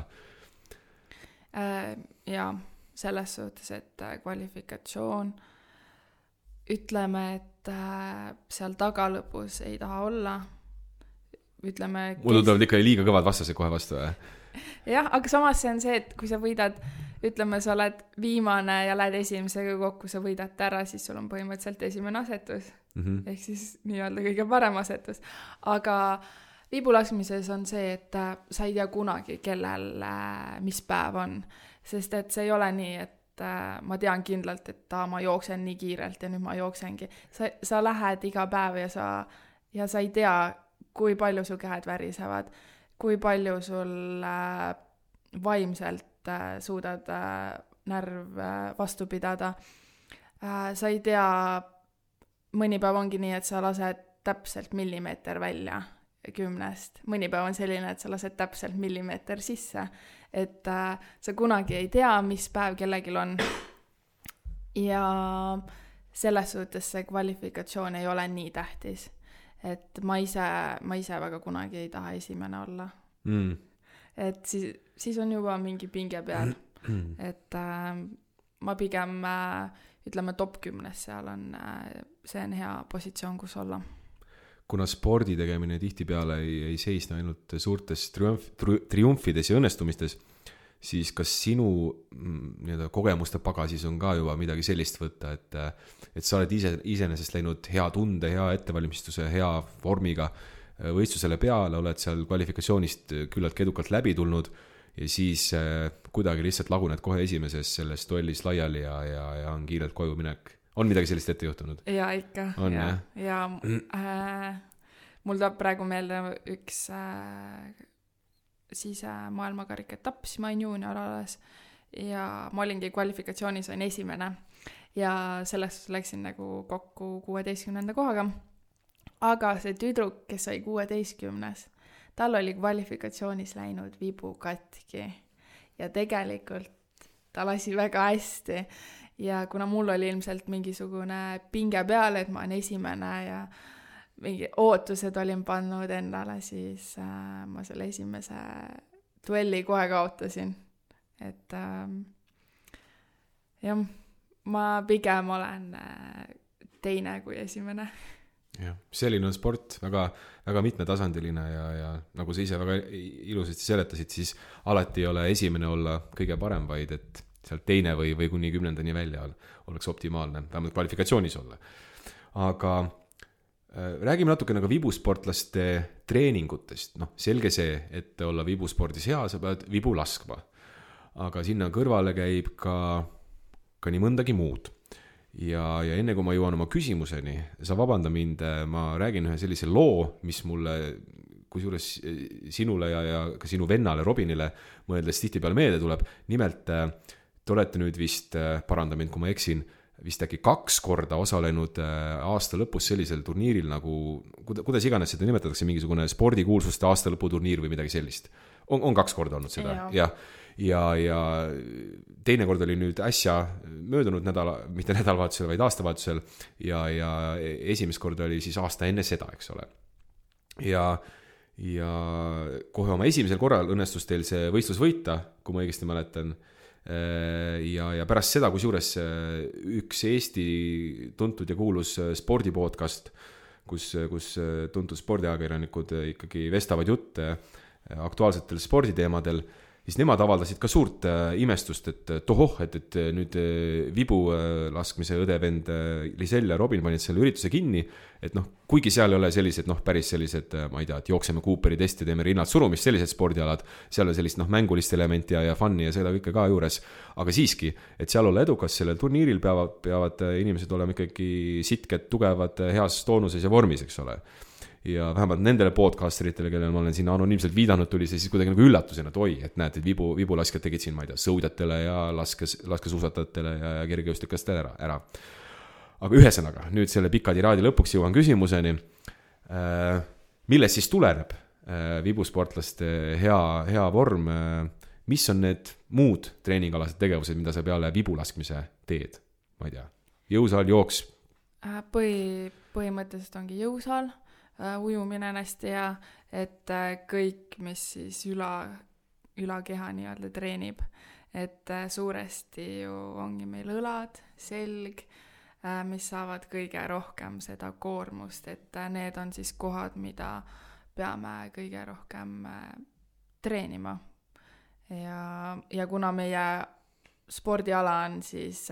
Ja selles suhtes, et kvalifikatsioon ütleme, et seal tagalõpus ei taha olla. Ütleme, muidu tulevad ikka liiga kõvad vastased kohe vastu. Jah, aga samas see on see, et kui sa võidad, ütleme, sa oled viimane ja lähed esimesega kokku, sa võidad ära, siis sul on põhimõtteliselt esimene asetus. Ehk siis nii-öelda kõige parem asetus. Aga viibulaskmises on see, et sa ei tea kunagi, kellel mis päev on. Sest et see ei ole nii, et ma tean kindlalt, et ma jooksen nii kiirelt ja nüüd ma jooksengi. Sa lähed iga päev ja sa ei tea, kui palju su käed värisevad, kui palju sul vaimselt suudad närv vastu pidada. sa ei tea, mõni päev ongi nii, et sa lased täpselt millimeeter välja 10, mõni päev on selline, et sa lased täpselt millimeeter sisse, et sa kunagi ei tea, mis päev kellelgi on. Ja selles suhtes see kvalifikatsioon ei ole nii tähtis, et ma ise väga kunagi ei taha esimene olla. Et siis on juba mingi pinge peal, et ma pigem ütleme top 10 seal on, see on hea positsioon, kus olla. Kuna spordi tegemine tihtipeale ei seisne ainult suurtes triumfides ja õnnestumistes, siis kas sinu kogemuste pagasis on ka juba midagi sellist võtta, et sa oled iseenesest läinud hea tunde, hea ettevalmistuse, hea vormiga võistlusele peale, oled seal kvalifikatsioonist küllalt edukalt läbi tulnud ja siis kuidagi lihtsalt laguned kohe esimeses selles duellis laiali ja on kiirelt koju minek. On midagi sellist ette juhtunud? Ja ikka. On, ja mul tuleb praegu meelde üks maailmakarika etapp, siis ma olin juunior alles ja ma olingi kvalifikatsioonis, olin esimene ja sellest läksin nagu kokku 16. kohaga. Aga see tüdruk, kes oli 16, tal oli kvalifikatsioonis läinud vibu katki ja tegelikult ta lasi väga hästi ja kuna mul oli ilmselt mingisugune pinge peal, et ma olen esimene ja mingi ootused olin pannud endale, siis ma selle esimese duelli kohe kaotasin. Et jah, ma pigem olen teine kui esimene. Ja, selline on sport, väga, väga mitmetasandiline ja nagu sa ise väga ilusasti seletasid, siis alati ei ole esimene olla kõige parem, vaid et sealt teine või kuni 10. välja oleks optimaalne, vähemalt kvalifikatsioonis olla. Aga räägime natuke nagu vibusportlaste treeningutest. Selge see, et olla vibuspordis hea, sa pead vibu laskma. Aga sinna kõrvale käib ka nii mõndagi muud. Ja enne kui ma jõuan oma küsimuseni, sa vabanda mind, ma räägin ühe sellise loo, mis mulle, kusjuures sinule ja ka sinu vennale Robinile mõeldes tihtipeale meelde tuleb. Nimelt, te olete nüüd vist, paranda mind, kui ma eksin, vist äkki 2 korda osalenud aasta lõpus sellisel turniiril nagu, kuidas iganes seda nimetatakse, mingisugune spordikuulsuste aasta lõputurniir või midagi sellist. On 2 korda olnud seda, ja teine kord oli nüüd äsja möödunud mitte nädalavahetusel, vaid aastavahetusel ja esimest korda oli siis aasta enne seda, eks ole. Ja kohe oma esimesel korral õnnestus teil see võistlus võita, kui ma õigesti mäletan. Ja pärast seda, kusjuures üks Eesti tuntud ja kuulus spordipodcast, kus tuntud spordiajakirjanikud ikkagi vestavad jutte aktuaalsetel sporditeemadel, siis nemad avaldasid ka suurt imestust, et tohoh, et nüüd vibu laskmise õdevend Lisel ja Robin panid selle ürituse kinni, et kuigi seal ei ole sellised, päris sellised, ma ei tea, et jookseme Cooperi testi, teeme rinnad surumist, sellised spordialad, seal on sellist mängulist elementi ja fun'i ja seda kõike ka juures, aga siiski, et seal olla edukas sellel turniiril peavad inimesed olema ikkagi sitked, tugevad, heas toonuses ja vormis, eks ole. Ja vähemalt nendele podcasteritele, kellele ma olen siin anonüümselt viidanud, tuli see siis kuidagi nagu üllatusena, et oi, et näed, et vibulaskjad tegid siin, ma ei tea, sõudjatele ja laskesuusatajatele ja kergejõustikastele ära. Aga ühesõnaga, nüüd selle pika tiraadi lõpuks jõuan küsimuseni, milles siis tuleneb vibusportlaste hea vorm, mis on need muud treeningalased tegevused, mida sa peale vibulaskmise teed, ma ei tea, jõusaal, jooks? Põhimõtteliselt ongi jõusaal, ujumine hästi ja et kõik, mis siis ülakeha nii-öelda treenib, et suuresti ju ongi meil õlad, selg, mis saavad kõige rohkem seda koormust, et need on siis kohad, mida peame kõige rohkem treenima. Ja kuna meie spordiala on siis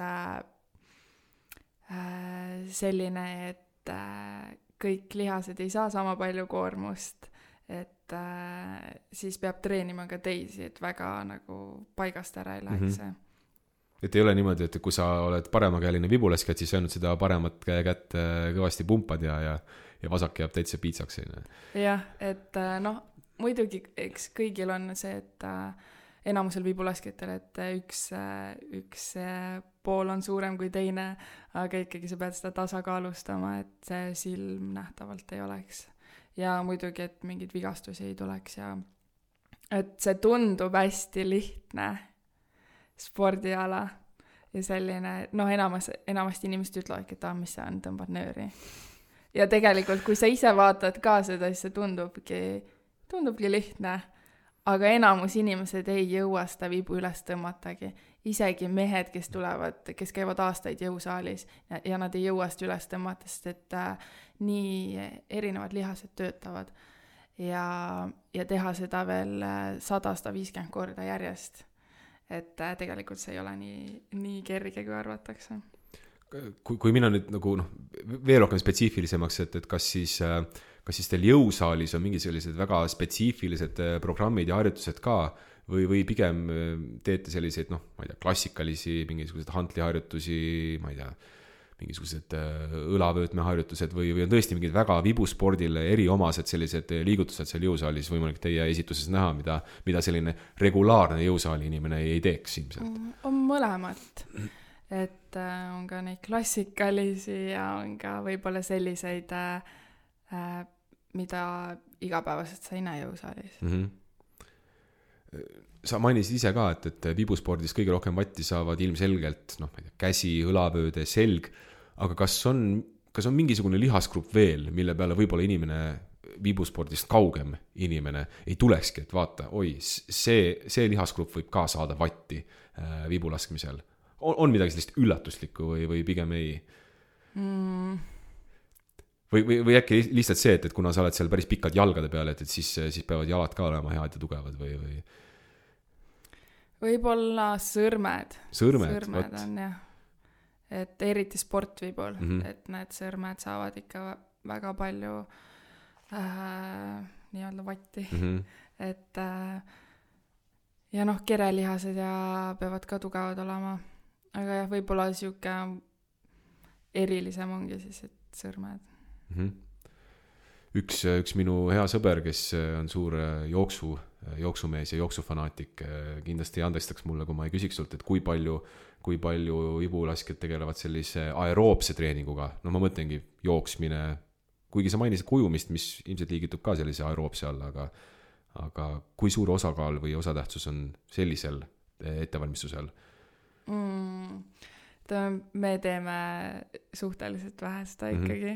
selline, et kõik lihased ei saa sama palju koormust, et siis peab treenima ka teisi, et väga nagu paigast ära ei läheks see. Et ei ole niimoodi, et kui sa oled paremakäeline vibulaskjad, siis ainult seda paremat kätt kõvasti pumpad ja vasak jääb täitsa piitsaks. Jah, et muidugi eks kõigil on see, et enamusel vibulaskjatel, et üks pool on suurem kui teine, aga ikkagi sa pead seda tasakaalustama, et see silm nähtavalt ei oleks. Ja muidugi, et mingid vigastusi ei tuleks ja et see tundub hästi lihtne spordiala ja selline, enamasti inimesed ütlevadki, et mis see on, tõmbad nööri. Ja tegelikult, kui sa ise vaatad ka seda, siis see tundubki lihtne, aga enamus inimesed ei jõua seda vibu üles tõmmatagi. Isegi mehed, kes käivad aastaid jõusaalis ja nad ei jõua seda üles tõmmata, sest et nii erinevad lihased töötavad ja teha seda veel 100-150 korda järjest. Et tegelikult see ei ole nii kerge, kui arvatakse. Kui minna nüüd nagu veel rohkem spetsiifilisemaks, et kas siis teil jõusaalis on mingi sellised väga spetsiifilised programmid ja harjutused ka või pigem teete selliseid, ma ei tea, klassikalisi, mingisugused hantliharjutusi, ma ei tea, mingisugused õlavöötmeharjutused või on tõesti mingid väga vibuspordile eriomased sellised liigutused seal jõusaalis võimalik teie esituses näha, mida selline regulaarne jõusaali inimene ei teeks ilmselt? On mõlemat. Et on ka neid klassikalisi ja on ka võib-olla selliseid, mida igapäevaselt sa ei näe jõusaalis. Sa mainisid ise ka, et vibuspordis kõige rohkem vatti saavad ilmselgelt käsi, õlavööde, selg, aga kas on mingisugune lihasgrupp veel, mille peale võib-olla inimene vibuspordist kaugem inimene ei tulekski, et vaata, see lihasgrupp võib ka saada vatti vibulaskmisel. On midagi sellist üllatuslikku või pigem ei? Või äkki lihtsalt see, et kuna sa oled seal päris pikad jalgade peal, et siis peavad jalad ka olema head ja tugevad või? Võib-olla sõrmed on jah. Et eriti sportvibul, et need sõrmed saavad ikka väga palju nii-öelda vatti. Et ja kerelihased ja peavad ka tugevad olema. Aga jah, võib-olla siuke erilisem ongi siis, et sõrmed. Üks minu hea sõber, kes on suur jooksumees ja jooksufanaatik, kindlasti andestaks mulle, kui ma ei küsiks sult, et kui palju vibulaskjad tegelevad sellise aeroobse treeninguga. Ma mõtlengi jooksmine, kuigi sa mainisid kujumist, mis ilmselt liigitub ka sellise aeroobse alla, aga kui suur osakaal või osatähtsus on sellisel ettevalmistusel? Me teeme suhteliselt vähe seda ikkagi.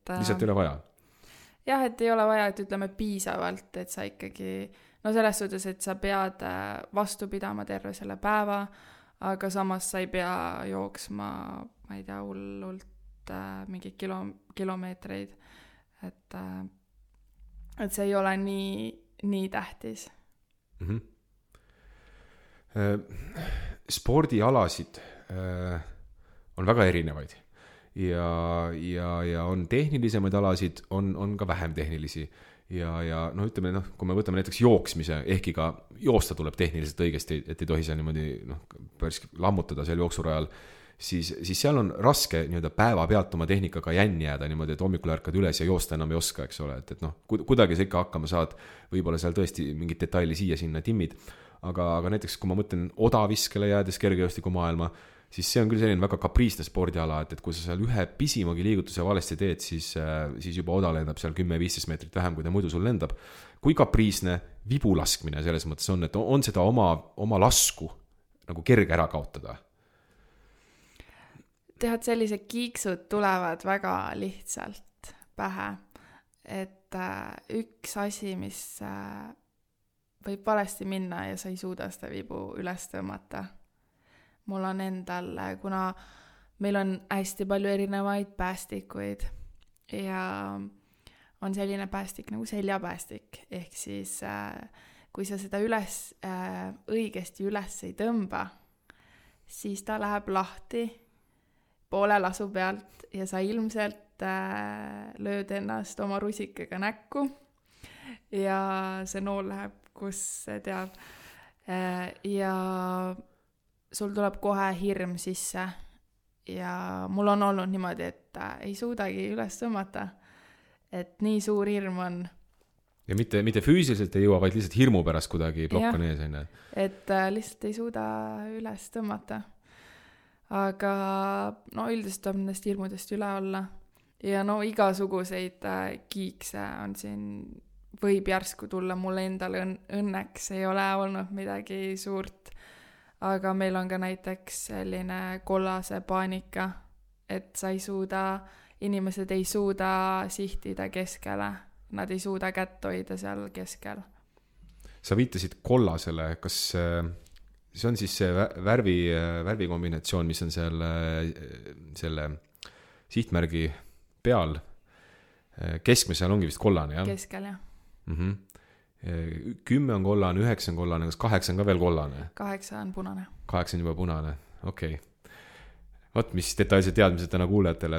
Lihtsalt ei ole vaja? Jah, et ei ole vaja, et ütleme piisavalt, et sa ikkagi, selles suhtes, et sa pead vastu pidama terve selle päeva, aga samas sa ei pea jooksma, ma ei tea, hullult mingi kilomeetreid, et see ei ole nii tähtis. Spordialasid on väga erinevaid ja on tehnilisemaid alasid, on ka vähem tehnilisi ja ütleme, kui me võtame näiteks jooksmise, ehkki ka joosta tuleb tehniliselt õigesti, et ei tohi seal niimoodi päris lammutada seal jooksurajal, siis seal on raske päeva pealt oma tehnikaga jänni jääda niimoodi, et hommikul ärkad üles ja joosta enam ei oska, eks ole, et kuidagi sa ikka hakkama saad, võib-olla seal tõesti mingit detaili siia-sinna timmid, aga näiteks kui ma mõtlen odaviskele jäädes kergejõustiku maailma, siis see on küll selline väga kapriisne spordiala, et kui sa seal ühe pisimagi liigutuse valesti teed, siis juba oda lendab seal 10-15 meetrit vähem, kui ta muidu sul lendab. Kui kapriisne vibulaskmine selles mõttes on, et on seda oma lasku nagu kerge ära kaotada? Tead, sellised kiiksud tulevad väga lihtsalt pähe, et üks asi, mis võib valesti minna ja sa ei suuda seda vibu üles tõmmata. Mul on endal, kuna meil on hästi palju erinevaid päästikuid ja on selline päästik nagu seljapäästik, ehk siis kui sa seda õigesti üles ei tõmba, siis ta läheb lahti poole lasu pealt ja sa ilmselt lööd ennast oma rusikaga näkku ja see nool läheb, kus see teab. Ja sul tuleb kohe hirm sisse ja mul on olnud niimoodi, et ei suudagi üles tõmmata, et nii suur hirm on. Ja mitte füüsiliselt ei jõua, vaid lihtsalt hirmu pärast kuidagi plokk on ees. Et lihtsalt ei suuda üles tõmmata. aga no üldiselt tuleb nendest hirmudest üle olla. Ja no igasuguseid kiikse on siin, võib järsku tulla, mul endal õnneks ei ole olnud midagi suurt, aga meil on ka näiteks selline kollase paanika, et sa ei suuda, inimesed ei suuda sihtida keskele, nad ei suuda kätt hoida seal keskel. Sa viitasid kollasele, kas see on siis see värvikombinatsioon, mis on seal selle sihtmärgi peal? Keskme seal ongi vist kollane, jah? Keskel, jah. 10 on kollane, 9 on kollane, kas 8 on ka veel kollane? 8 on punane. 8 on juba punane, okei. Vot, mis detailsed teadmised täna kuulajatele,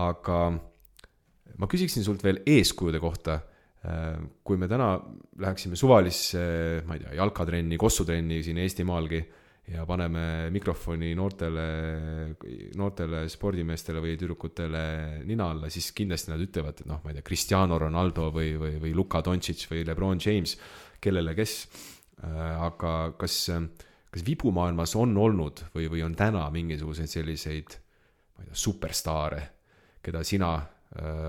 aga ma küsiksin sult veel eeskujude kohta. Kui me täna läheksime suvalisse, ma ei tea, jalkatrenni, kossutrenni siin Eestimaalgi ja paneme mikrofoni noortele spordimeestele või tüdrukutele nina alla, siis kindlasti nad ütlevad, et noh, ma ei tea, Cristiano Ronaldo või Luka Doncic või LeBron James, kellele kes. Aga kas vibumaailmas on olnud või on täna mingisuguseid selliseid, ma ei tea, superstaare, keda sina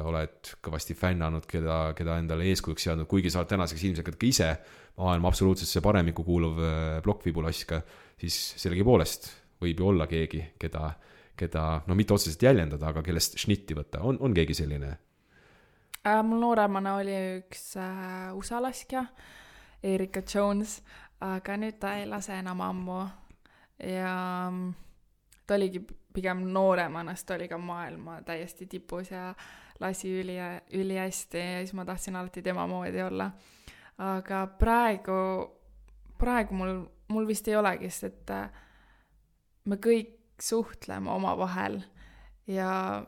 oled kõvasti fännanud, keda endale eeskujuks seadnud, kuigi sa oled tänaseks ilmselt ka ise maailma absoluutsesse paremikku kuuluv plokkvibulaska, siis sellegi poolest võib ju olla keegi, keda no mitte otseselt jäljendada, aga kellest šnitti võtta. On keegi selline? Mul nooremana oli üks USA laskja, Erika Jones, aga nüüd ta ei lase enam ammu ja ta oligi pigem nooremana, sest ta oli ka maailma täiesti tipus ja lasi üli hästi ja siis ma tahtsin alati tema moodi olla. Aga praegu mul vist ei olegi, sest et me kõik suhtleme oma vahel ja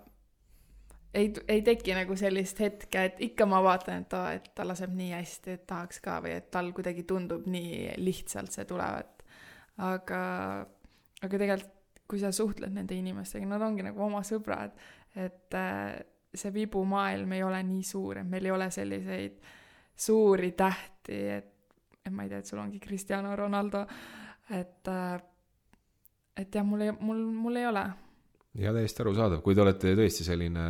ei teki nagu sellist hetke, et ikka ma vaatan, et ta laseb nii hästi, et tahaks ka või et tal kuidagi tundub nii lihtsalt see tulevat. Aga tegelikult kui sa suhtled nende inimestega, nad ongi nagu oma sõbrad, et see vibumaailm ei ole nii suur, et meil ei ole selliseid suuri tähti, et ma ei tea, et sul ongi Cristiano Ronaldo, et jah, mul ei ole. Ja täiesti arusaadav, kui te olete tõesti selline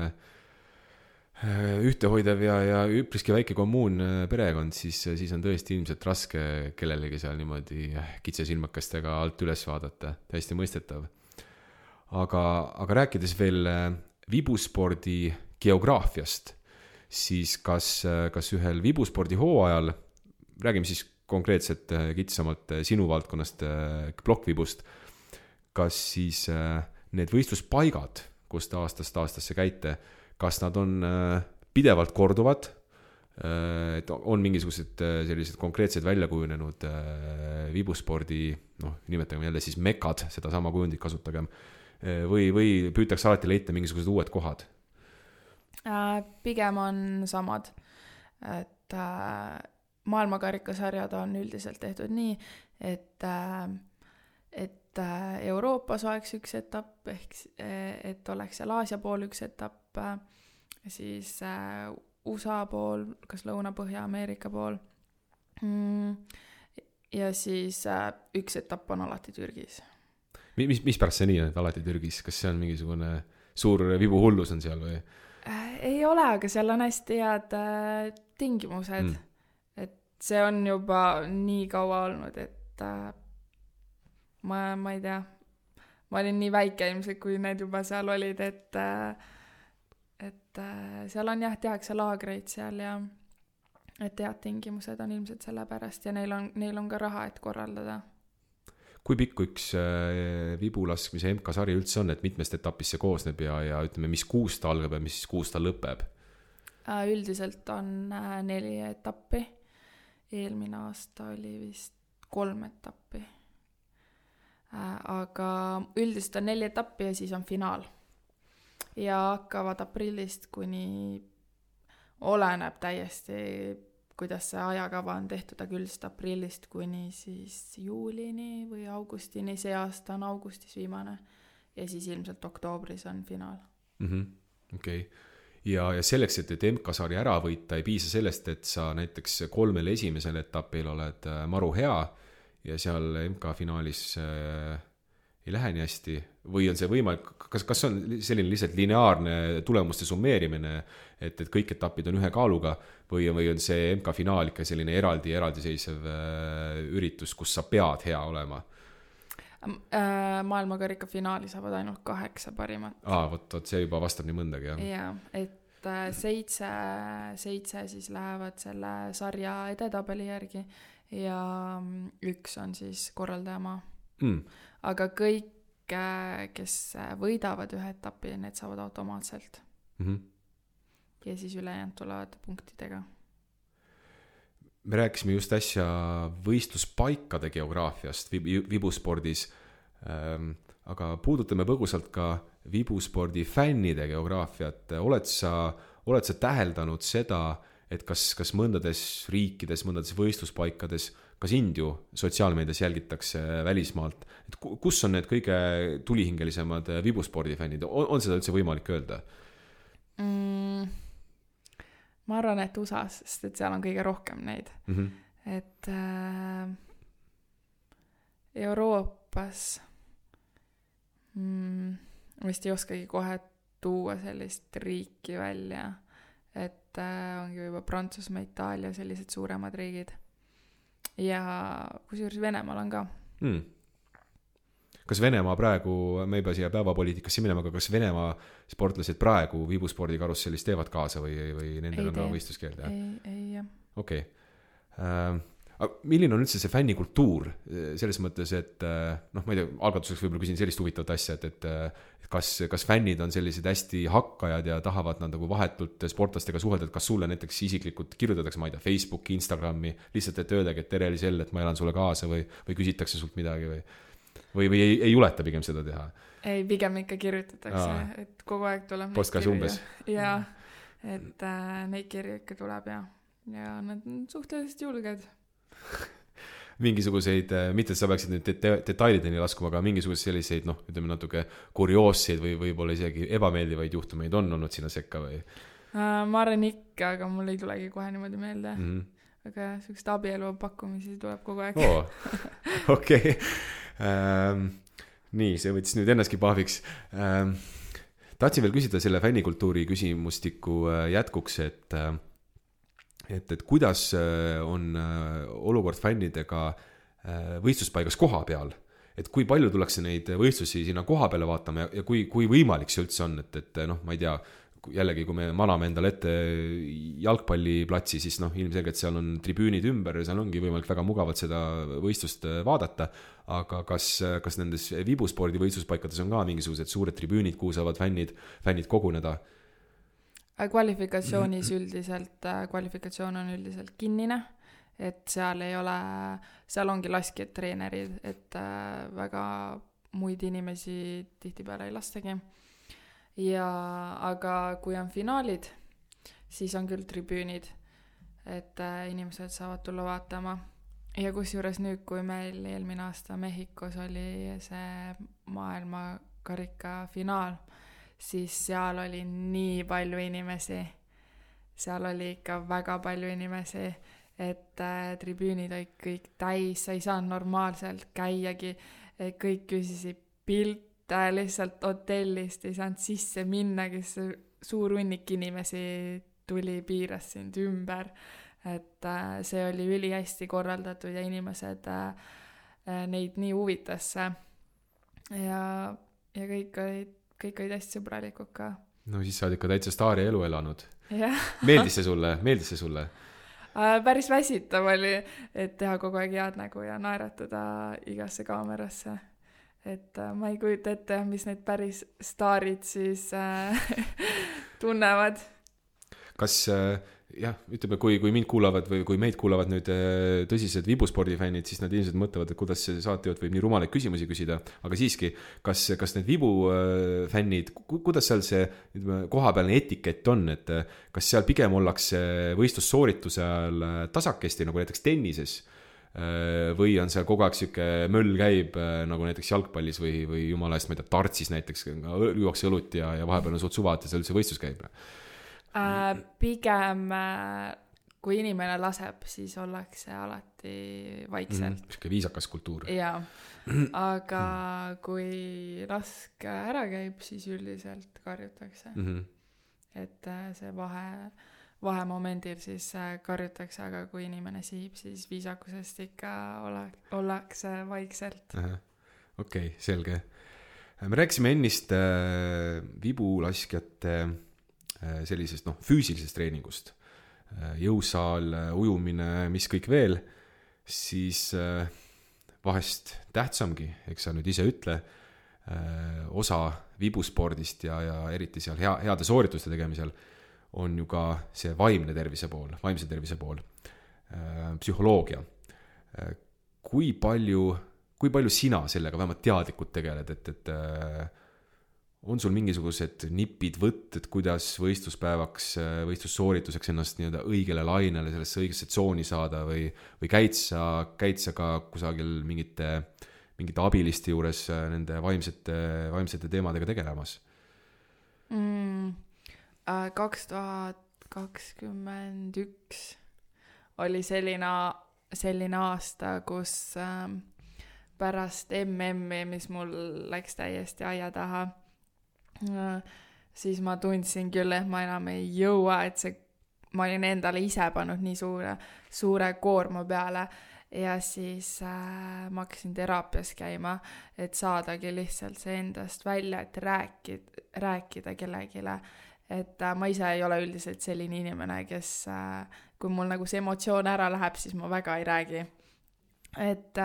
ühtehoidev ja üpriski väike kommuun perekond, siis on tõesti ilmselt raske kellelegi seal niimoodi kitsesilmakestega alt üles vaadata, täiesti mõistetav. Aga rääkides veel vibuspordi geograafiast, siis kas ühel vibuspordi hooajal, räägime siis konkreetselt kitsamalt sinu valdkonnast plokkvibust, kas siis need võistluspaigad, kus te aastast aastasse käite, kas nad on pidevalt korduvad, et on mingisugused sellised konkreetsed väljakujunenud vibuspordi, noh, nimetagem jälle siis mekad, seda sama kujundit kasutagem, või püütakse alati leida mingisugused uued kohad? Pigem on samad, et maailmakarikasarjad on üldiselt tehtud nii, et Euroopas oleks üks etapp, ehk et oleks seal Aasia pool üks etapp, siis USA pool, kas Lõuna-Põhja-Ameerika pool. Ja siis üks etapp on alati Türgis. Mis pärast see nii on, et alati Türgis? Kas see on mingisugune suur vibuhullus on seal või? Ei ole, aga seal on hästi head tingimused. Et see on juba nii kaua olnud, et ma ei tea, ma olin nii väike ilmselt, kui need juba seal olid, et seal on jah, tehakse laagreid seal ja et head tingimused on ilmselt selle pärast ja neil on ka raha, et korraldada. Kui pikk üks vibulaskmise MK-sari üldse on, et mitmest etapist see koosneb ja ütleme, mis kuus ta algab ja mis kuus ta lõpeb? Üldiselt on 4 etappi. Eelmine aasta oli vist 3 etappi. Aga üldiselt on 4 etappi ja siis on finaal. Ja hakkavad aprillist kuni oleneb täiesti, kuidas see ajakava on tehtud, aga üldiselt aprillist kuni siis juulini või augustini, see aasta on augustis viimane ja siis ilmselt oktoobris on finaal. Okei. Ja selleks, et MK-sari ära võita, ei piisa sellest, et sa näiteks 3 esimesel etapil oled maru hea ja seal MK-finaalis ei lähe nii hästi või on see võimalik, kas on selline lihtsalt lineaarne tulemuste summeerimine, et kõik etapid on ühe kaaluga või on see MK-finaal ikka selline eraldiseisev üritus, kus sa pead hea olema? Maailmakarika finaali saavad ainult 8 parimat. Vot see juba vastab nii mõndagi, jah. Jaa, et 7 siis lähevad selle sarja edetabeli järgi ja 1 on siis korraldajamaa. Aga kõik, kes võidavad ühe etapi, need saavad automaatselt. Ja siis ülejäänud tulevad punktidega. Me rääkisime just äsja võistluspaikade geograafiast vibuspordis, aga puudutame põgusalt ka vibuspordi fännide geograafiat. Oled sa täheldanud seda, et kas mõndades riikides, mõndades võistluspaikades, ka sind ju sotsiaalmeedias jälgitakse välismaalt, et kus on need kõige tulihingelisemad vibuspordifännid? On seda üldse võimalik öelda? Ma arvan, et USAs, sest et seal on kõige rohkem neid. Et Euroopas vist ei oskagi kohe tuua sellist riiki välja, et ongi juba Prantsusmaa, Itaalia, sellised suuremad riigid. Ja kusjuures Venemaal on ka. Kas Venemaa praegu, me juba siia päevapoliitikasse minema, aga kas Venemaa sportlased praegu vibuspordi karussellis teevad kaasa või nendel on ka võistluskeeld? Ei, jah. Okei. Milline on üldse see fännikultuur selles mõttes, et ma ei tea, algatuseks võib-olla küsin sellist huvitavat asja, et kas fännid on sellised hästi hakkajad ja tahavad nad nagu vahetult sportlastega suhelda, et kas sulle näiteks isiklikult kirjutatakse, ma ei tea, Facebooki, Instagrami, lihtsalt et öeldagi, et tere Elisel, et ma elan sulle kaasa või küsitakse sult midagi või ei juleta pigem seda teha? Ei, pigem ikka kirjutatakse, et kogu aeg tuleb postkas umbes. Ja, et neid kirju ikka tuleb ja nad on suhteliselt julged. Mingisuguseid, mitte et sa peaksid nüüd detailideni laskuma, aga mingisuguseid selliseid, ütleme natuke kurioosseid või võib-olla isegi ebameeldivaid juhtumeid on olnud sinna sekka või? Ma arvan ikka, aga mul ei tulegi kohe niimoodi meelde. Aga sellist abielu pakkumisi tuleb kogu aeg. Okei. Nii, see võttis nüüd ennastki pahviks. Tahtsin veel küsida selle fännikultuuri küsimustiku jätkuks, et kuidas on olukord fännidega võistluspaigas koha peal, et kui palju tullakse neid võistlusi sinna koha peale vaatama ja kui võimalik see üldse on, et ma ei tea, jällegi kui me maname endale ette jalgpalliplatsi, siis ilmselgelt seal on tribüünid ümber ja seal ongi võimalik väga mugavalt seda võistlust vaadata, aga kas nendes vibuspordi võistluspaikades on ka mingisugused suured tribüünid, kuhu saavad fännid koguneda? Kvalifikatsioonis kvalifikatsioon on üldiselt kinnine, et seal ongi laskjad treenerid, et väga muid inimesi tihtipeale ei lastagi. Aga kui on finaalid, siis on küll tribüünid, et inimesed saavad tulla vaatama. Ja kusjuures nüüd, kui meil eelmine aasta Mehhikos oli see maailmakarika finaal, siis seal oli nii palju inimesi. Seal oli ikka väga palju inimesi, et tribüünid olid kõik täis, sa ei saanud normaalselt käiagi, kõik küsisid pilte lihtsalt hotellist, ei saanud sisse minna, kes suur hunnik inimesi tuli, piiras sind ümber, et see oli ülihästi korraldatud ja inimesed neid nii huvitasse ja kõik olid hästi sõbralikud ka. No siis sa oled ikka täitsa staari elu elanud. Meeldis see sulle? Päris väsitav oli, et teha kogu aeg head nägu ja naeratada igasse kaamerasse. Et ma ei kujuta ette, mis need päris staarid siis tunnevad. Kas, ütleme, kui mind kuulavad või kui meid kuulavad nüüd tõsised vibuspordifännid, siis nad ilmselt mõtlevad, et kuidas see saatejuht võib nii rumalaid küsimusi küsida, aga siiski, kas need vibufännid, kuidas seal see kohapealne etikett on, et kas seal pigem ollakse võistlussoorituse ajal tasakesti, nagu näiteks tennises, või on seal kogu aeg siuke möll käib, nagu näiteks jalgpallis või jumala eest, ma ei tea, tartsis näiteks, juuakse õlut ja vahepeal on suht suva, et see üldse võistlus käib? Pigem kui inimene laseb, siis ollakse alati vaikselt. Sihuke viisakas kultuur. Jaa, aga kui lask ära käib, siis üldiselt karjutakse. Et see vahemomendil siis karjutakse, aga kui inimene sihib, siis viisakusest ikka ollakse vaikselt. Okei, selge. Me rääkisime ennist vibulaskjate sellisest füüsilisest treeningust. Jõusaal, ujumine, mis kõik veel, siis vahest tähtsamgi, eks sa nüüd ise ütle, osa vibuspordist ja eriti seal heade soorituste tegemisel on ju ka see vaimse tervise pool, psühholoogia. Kui palju sina sellega vähemalt teadlikult tegeled, et on sul mingisugused nipid, võtted, kuidas võistlussoorituseks ennast nii-öelda õigele lainele, sellesse õigesse tsooni saada või käid sa ka kusagil mingite abiliste juures nende vaimsete teemadega tegelemas? 2021 oli selline aasta, kus pärast MM-i, mis mul läks täiesti aia taha, siis ma tundsin küll, et ma enam ei jõua, et ma olin endale ise pannud nii suure koorma peale ja siis ma hakkasin teraapias käima, et saadagi lihtsalt see endast välja, et rääkida kellegile. Et ma ise ei ole üldiselt selline inimene, kes kui mul nagu see emotsioon ära läheb, siis ma väga ei räägi. Et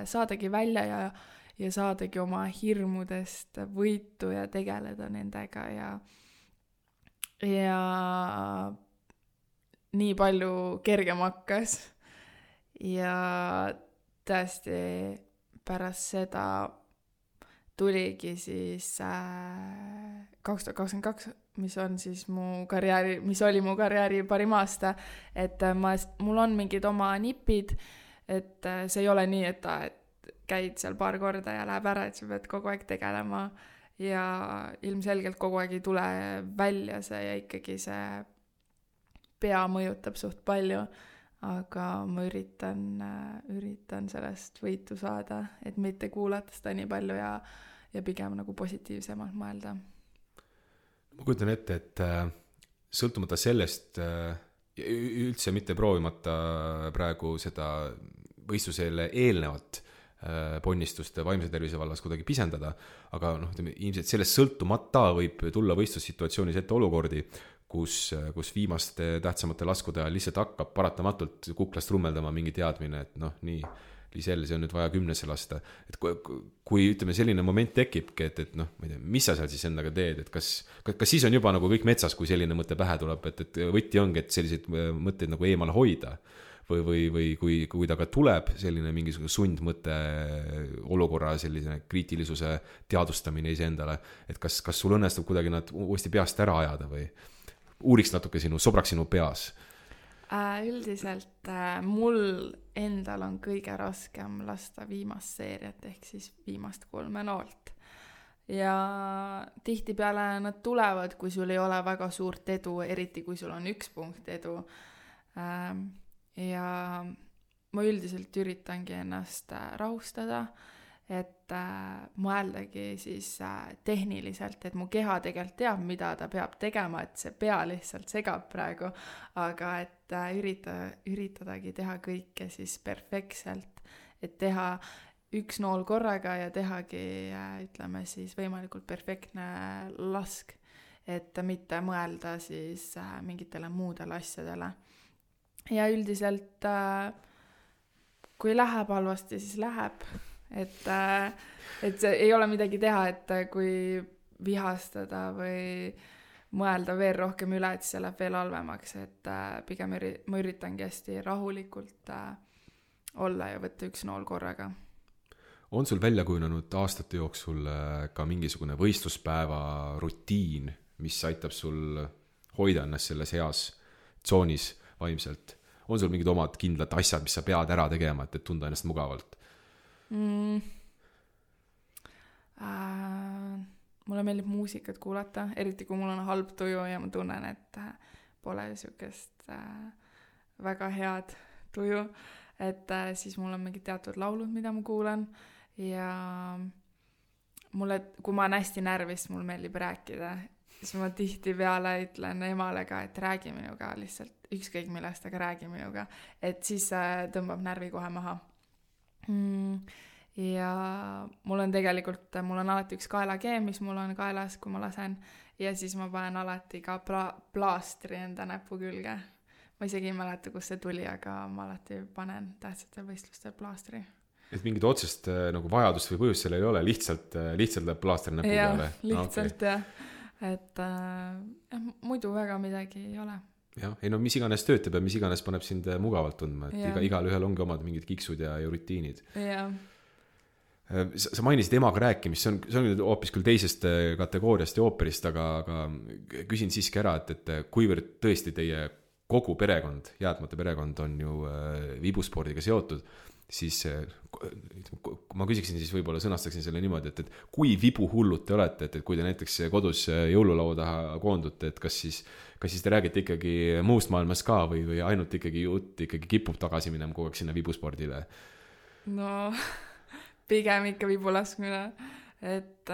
saadagi välja ja saadagi oma hirmudest võitu ja tegeleda nendega ja nii palju kergem hakkas ja tõesti pärast seda tuligi siis 2022, mis oli mu karjääri parim aasta, et mul on mingid oma nipid, et see ei ole nii, et käid seal paar korda ja läheb ära, et sa pead kogu aeg tegelema ja ilmselgelt kogu aeg ei tule välja see ja ikkagi see pea mõjutab suht palju, aga ma üritan sellest võitu saada, et mitte kuulata seda nii palju ja pigem nagu positiivsemalt mõelda. Ma kujutan ette, et sõltumata sellest üldse mitte proovimata praegu seda võistlusele eelnevat ponnistuste vaimse tervise vallas kuidagi pisendada, aga ilmselt sellest sõltumata võib tulla võistlussituatsioonis ette olukordi, kus viimaste tähtsamate laskude ajal lihtsalt hakkab paratamatult kuklast rummeldama mingi teadmine, et nii, Liisel, see on nüüd vaja 10 lasta. Et kui ütleme, selline moment tekibki, et ma ei tea, mis sa seal siis endaga teed, et kas siis on juba nagu kõik metsas, kui selline mõte pähe tuleb, et võtti ongi, et selliseid mõtteid nagu eemal hoida või kui ta ka tuleb selline mingisugune sundmõte olukorra selline kriitilisuse teadvustamine iseendale, et kas sul õnnestub kuidagi nad uuesti peast ära ajada või uuriks natuke sobraks sinu peas? Üldiselt mul endal on kõige raskem lasta viimast seeriat ehk siis viimast 3 noolt ja tihtipeale nad tulevad, kui sul ei ole väga suurt edu, eriti kui sul on 1 punkt edu ja ma üldiselt üritangi ennast rahustada, et mõeldagi siis tehniliselt, et mu keha tegelikult teab, mida ta peab tegema, et see pea lihtsalt segab praegu, aga et üritadagi teha kõike siis perfektselt, et teha 1 nool korraga ja tehagi, ütleme siis võimalikult perfektne lask, et mitte mõelda siis mingitele muudele asjadele. Ja üldiselt kui läheb halvasti, siis läheb. Et see ei ole midagi teha, et kui vihastada või mõelda veel rohkem üle, et see läheb veel halvemaks, et pigem ma üritangi hästi rahulikult olla ja võtta 1 nool korraga. On sul välja kujunenud aastate jooksul ka mingisugune võistluspäeva rutiin, mis aitab sul hoida ennast selles heas tsoonis vaimselt? On sul mingid omad kindlad asjad, mis sa pead ära tegema, et tunda ennast mugavalt? Mulle meeldib muusikat kuulata, eriti kui mul on halb tuju ja ma tunnen, et pole sükest väga head tuju, et siis mul on mingid teatud laulud, mida ma kuulan ja mulle, kui ma olen hästi närvis, mul meeldib rääkida, siis ma tihtipeale ütlen emale ka, et räägi minuga lihtsalt, ükskõik millest, aga räägi minuga, et siis tõmbab närvi kohe maha. Ja mul on tegelikult, mul on alati üks kaelakeem, mis mul on kaelas, kui ma lasen, ja siis ma panen alati ka plaastri enda näpu külge. Ma isegi ei mäleta, kus see tuli, aga ma alati panen tähtsatel võistlustel plaastri. Et mingit otsest nagu vajadust või põhjust sellel ei ole, lihtsalt läheb plaastri näpu peale? Lihtsalt jah. Et muidu väga midagi ei ole. Jah, ei no mis iganes töötab ja mis iganes paneb sind mugavalt tundma, et igal ühel ongi omad mingid kiksud ja rutiinid. Jah. Sa mainisid emaga rääkimist, see on hoopis küll teisest kategooriast ja ooperist, aga küsin siiski ära, et kuivõrd tõesti teie kogu perekond, jäätmate perekond on ju vibuspordiga seotud, siis ma küsiksin siis võib-olla sõnastaksin selle niimoodi, et kui vibuhullud te olete, et kui te näiteks kodus jõululaua taha koondute, et kas siis te räägite ikkagi muust maailmast ka või ainult ikkagi jutt ikkagi kipub tagasi minema kogu aeg sinna vibuspordile? No pigem ikka vibu laskmine, et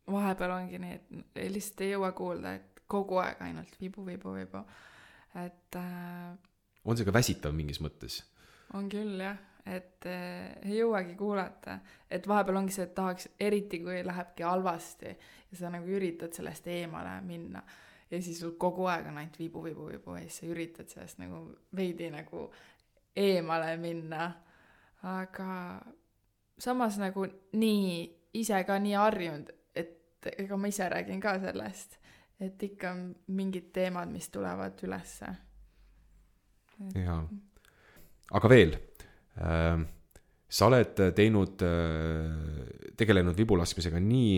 vahepeal ongi nii, et lihtsalt ei jõua kuulda, et kogu aeg ainult vibu, et on see ka väsitav mingis mõttes? On küll jah, et ei jõuagi kuulata, et vahepeal ongi see, et tahaks, eriti kui lähebki halvasti ja sa nagu üritad sellest eemale minna ja siis sul kogu aeg on ainult vibu ja siis sa üritad sellest nagu veidi nagu eemale minna, aga samas nagu nii ise ka nii harjunud, et ega ma ise räägin ka sellest, et ikka mingid teemad, mis tulevad ülesse. Jaa. Aga veel, sa oled tegelenud vibulaskmisega nii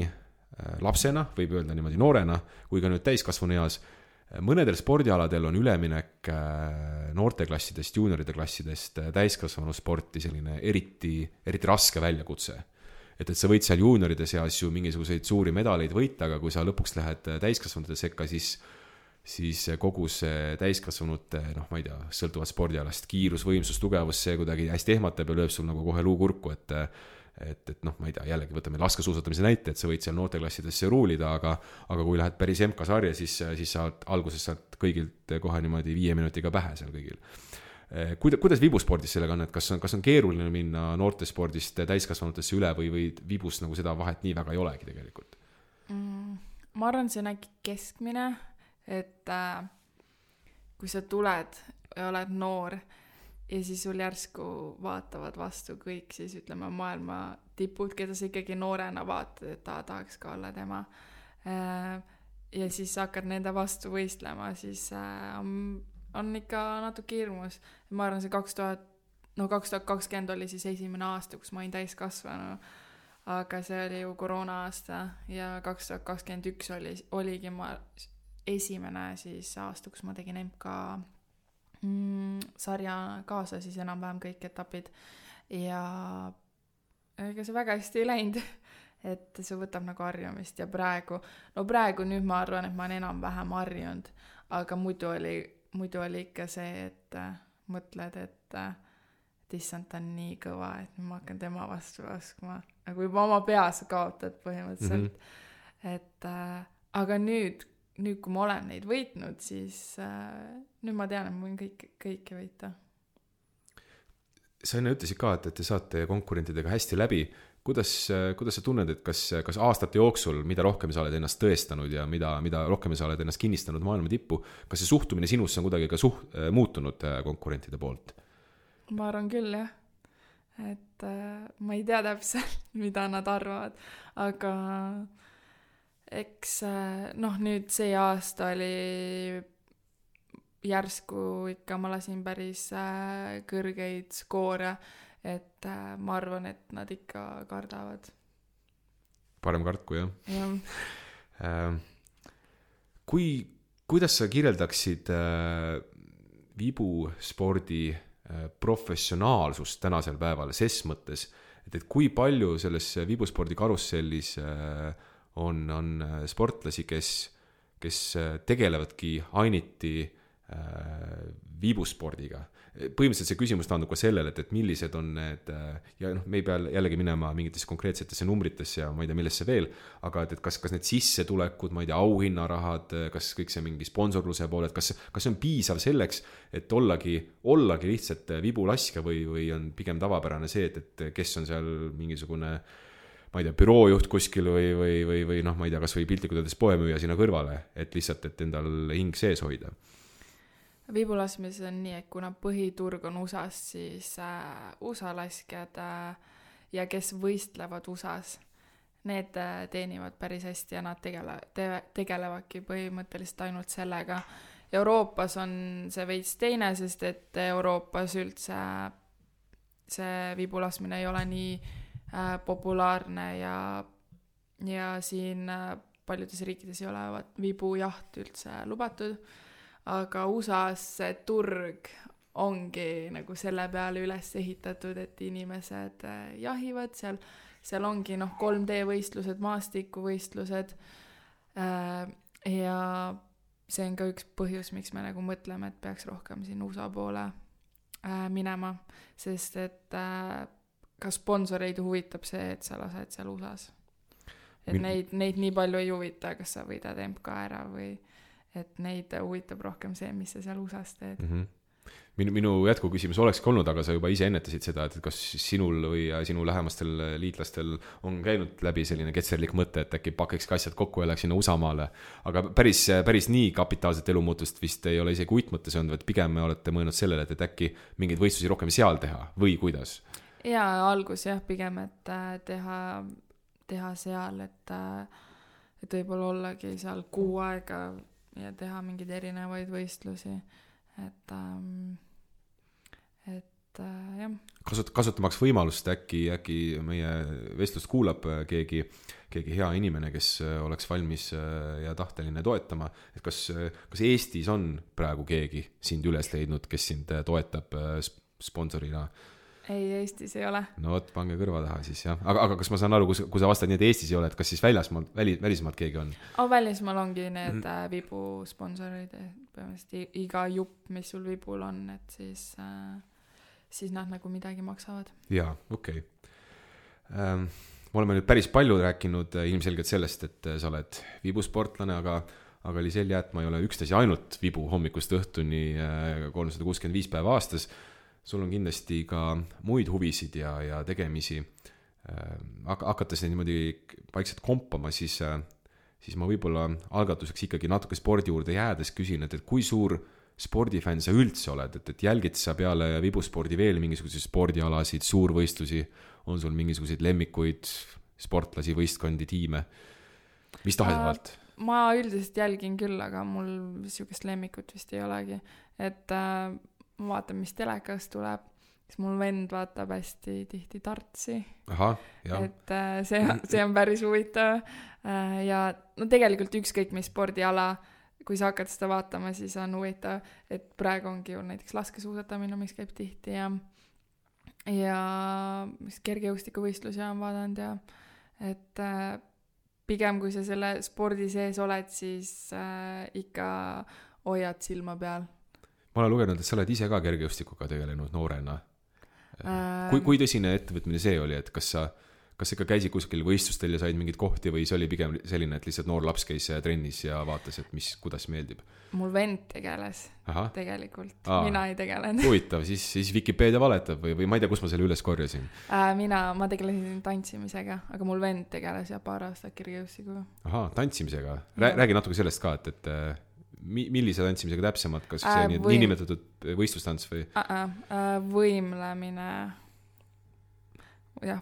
lapsena, võib öelda niimoodi noorena, kui ka nüüd täiskasvanu eas. Mõnedel spordialadel on üleminek noorteklassidest, juunioride klassidest täiskasvanu sporti selline eriti raske väljakutse. Et sa võid seal juunioride seas ju mingisuguseid suuri medaleid võita, aga kui sa lõpuks lähed täiskasvanute sekka, siis kogu see täiskasvanute, ma ei tea, sõltuvad spordialast, kiirus, võimsus, tugevus, see kuidagi hästi ehmatab ja lööb sul nagu kohe luukurku, et ma ei tea, jällegi võtame laskesuusatamise näite, et sa võid seal noorteklassidesse ruulida, aga kui lähed päris MK-sarja, siis sa alguses saad kõigilt kohe niimoodi 5 minutiga pähe seal kõigil. Kuidas vibuspordis sellega on, et kas on keeruline minna noortespordist täiskasvanutesse üle või vibus nagu seda vahet nii väga ei olegi tegelikult? Ma arvan, see on äkki keskmine, et kui sa tuled ja oled noor ja siis sul järsku vaatavad vastu kõik, siis ütleme maailma tipud, keda sa ikkagi noorena vaatad, et tahaks ka olla tema. Ja siis hakkad nende vastu võistlema, siis on ikka natuke hirmus. Ma arvan, see 2020 oli siis esimene aasta, kus ma olin täiskasvanu, aga see oli ju koroona aasta ja 2021 oligi ma esimene siis aasta, kus ma tegin MK sarja kaasa, siis enam-vähem kõik etapid ja ega see väga hästi ei läinud, et see võtab nagu harjumist ja praegu nüüd ma arvan, et ma olen enam-vähem harjunud, aga muidu oli ikka see, et mõtled, et issand, ta on nii kõva, et ma hakkan tema vastu laskma, nagu juba oma peas kaotad põhimõtteliselt, et aga nüüd kui ma olen neid võitnud, siis nüüd ma tean, et ma võin kõike võita. Sa enne ütlesid ka, et te saate konkurentidega hästi läbi. Kuidas sa tunned, et kas aastate jooksul, mida rohkem sa oled ennast tõestanud ja mida rohkem sa oled ennast kinnistanud maailma tippu, kas see suhtumine sinusse on kuidagi ka muutunud konkurentide poolt? Ma arvan küll, jah. Et ma ei tea täpselt, mida nad arvavad, aga eks nüüd see aasta oli järsku ikka, ma lasin päris kõrgeid skoore, et ma arvan, et nad ikka kardavad. Parem kartku, jah? Jah. Kuidas sa kirjeldaksid vibuspordi professionaalsust tänasel päeval ses mõttes, et kui palju selles vibuspordi karussellis on sportlasi, kes tegelevadki ainiti vibuspordiga. Põhimõtteliselt see küsimus taandub ka sellele, et millised on need, ja me ei pea jällegi minema mingitesse konkreetsetesse numbritesse ja ma ei tea, millesse veel, aga et kas need sissetulekud, ma ei tea, auhinnarahad, kas kõik see mingi sponsorluse poole, et kas see on piisav selleks, et ollagi lihtsalt vibulaskja või on pigem tavapärane see, et kes on seal mingisugune, ma ei tea, büroojuht kuskil või noh, ma ei tea, kas või piltlikult öeldes poemüüja sinna kõrvale, et lihtsalt, et endal hing sees hoida. Vibulaskmises on nii, et kuna põhiturg on USA-s, siis USA laskjad ja kes võistlevad USA-s, need teenivad päris hästi ja nad tegelevadki põhimõtteliselt ainult sellega. Euroopas on see veits teine, sest et Euroopas üldse see vibulaskmine ei ole nii populaarne ja siin paljudes riikides ei ole vibujaht üldse lubatud. Aga USA-s see turg ongi nagu selle peale üles ehitatud, et inimesed jahivad, seal ongi 3D võistlused, maastikuvõistlused ja see on ka üks põhjus, miks me nagu mõtleme, et peaks rohkem siin USA poole minema, sest et ka sponsoreid huvitab see, et sa lased seal USA-s. Et neid nii palju ei huvita, kas sa võidad MK ära või et neid huvitab rohkem see, mis sa seal USA-s teed. Minu jätkuküsimus olekski olnud, aga sa juba ise ennetasid seda, et kas sinul või sinu lähemastel liitlastel on käinud läbi selline ketserlik mõte, et äkki pakikski asjad kokku ja läheks sinna USA-maale. Aga päris nii kapitaalset elumuutust vist ei ole isegi uitmõttes olnud, et pigem me olete mõelnud sellele, et äkki mingeid võistlusi rohkem seal teha või kuidas? Ja algus pigem, et teha seal, et võib-olla ollagi seal kuu aega ja teha mingeid erinevaid võistlusi, et jah. Kasutamaks võimalust, äkki meie vestlust kuulab keegi hea inimene, kes oleks valmis ja tahteline toetama, et kas Eestis on praegu keegi sind üles leidnud, kes sind toetab sponsorina? Ei, Eestis ei ole. No võt, pange kõrva taha siis, jah. Aga kas ma saan aru, kui sa vastad nii, et Eestis ei ole, et kas siis välismaalt keegi on? Välismaal ongi need vibu sponsorid, põhimõtteliselt iga jupp, mis sul vibul on, et siis nad nagu midagi maksavad. Jaa, okei. Me oleme nüüd päris palju rääkinud ilmselgelt sellest, et sa oled vibusportlane, aga Liisel Jäätma ei ole üksnes ja ainult vibu hommikust õhtuni 365 päeva aastas. Sul on kindlasti ka muid huvisid ja tegemisi. Hakates neid niimoodi vaikselt kompama, siis ma võib-olla algatuseks ikkagi natuke spordi juurde jäädes küsin, et kui suur spordifänn sa üldse oled, et jälgid sa peale vibuspordi veel mingisuguseid spordialasid, suurvõistlusi, on sul mingisuguseid lemmikuid sportlasi, võistkondi, tiime, mis tahes Ma üldiselt jälgin küll, aga mul niisugust lemmikut vist ei olegi, et ma vaatan, mis telekas tuleb, siis mul vend vaatab hästi tihti Tartsi. Aha, jah. Et see on päris huvitav. Ja no tegelikult ükskõik mis spordiala, kui sa hakkad seda vaatama, siis on huvitav, et praegu ongi ju näiteks laskesuusatamine, mis käib tihti ja kergejõustikuvõistlusi on vaadanud ja et pigem kui sa selle spordi sees oled, siis ikka hoiad silma peal. Ma olen lugenud, et sa oled ise ka kergejõustikuga tegelenud noorena. Kui tõsine ettevõtmine see oli, et kas ikka käisid kuskil võistlustel ja said mingid kohti või see oli pigem selline, et lihtsalt noor laps käis trennis ja vaatas, et kuidas meeldib? Mul vend tegeles. Tegelikult. Mina ei tegelenud. Huvitav, siis Wikipedia valetab või ma ei tea, kus ma selle üles korjasin? Ma tegelesin tantsimisega, aga mul vend tegeles ja paar aastat kergejõustikuga. Tantsimisega. Räägi natuke sellest ka, et millise tantsimisega täpsemalt, kas see niinimetatud võistlustants või?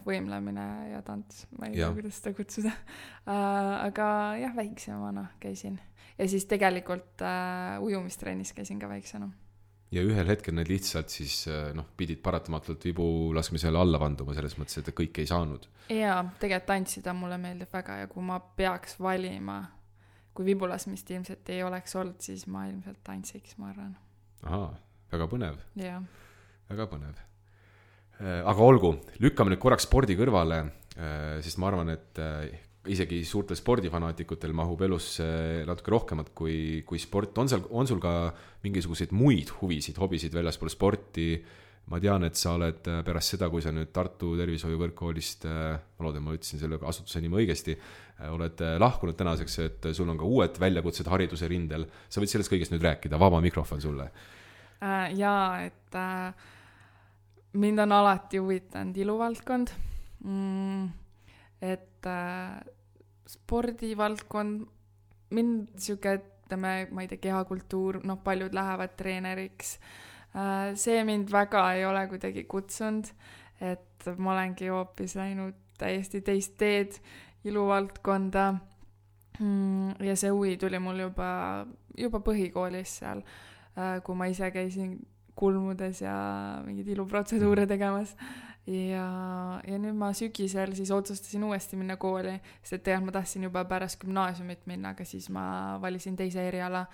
Võimlemine ja tants, ma ei tea, kuidas seda kutsuda. Aga jah, väiksemana käisin. Ja siis tegelikult ujumistrennis käisin ka väiksena. Ja ühel hetkel need lihtsalt siis pidid paratamatult vibu laskmisele alla vanduma selles mõttes, et kõik ei saanud. Jaa, tegelikult tantsida mulle meeldib väga ja kui ma peaks valima, kui vibulasmist ilmselt ei oleks olnud, siis ma ilmselt tantsiks, ma arvan. Väga põnev. Jaa. Väga põnev. Aga olgu, lükkame nüüd korraks spordi kõrvale, sest ma arvan, et isegi suurtel spordifanatikutel mahub elusse natuke rohkemat kui sport. On sul ka mingisuguseid muid huvisid, hobisid väljaspool sporti? Ma tean, et sa oled pärast seda, kui sa nüüd Tartu tervishoiukõrgkoolist, ma loodan, ma ütlesin selle asutuse nime õigesti, oled lahkunud tänaseks, et sul on ka uued väljakutsed hariduse rindel. Sa võid sellest kõigest nüüd rääkida, vaba mikrofon sulle. Jaa, et mind on alati huvitanud iluvaldkond, et spordivaldkond, mind siuke, ütleme, ma ei tea, kehakultuur, paljud lähevad treeneriks. See mind väga ei ole kuidagi kutsunud, et ma olengi hoopis läinud täiesti teist teed iluvaldkonda ja see huvi tuli mul juba põhikoolis seal, kui ma ise käisin kulmudes ja mingeid iluprotseduure tegemas ja nüüd ma sügisel siis otsustasin uuesti minna kooli, sest et tegelikult ma tahtsin juba pärast gümnaasiumit minna, aga siis ma valisin teise eriala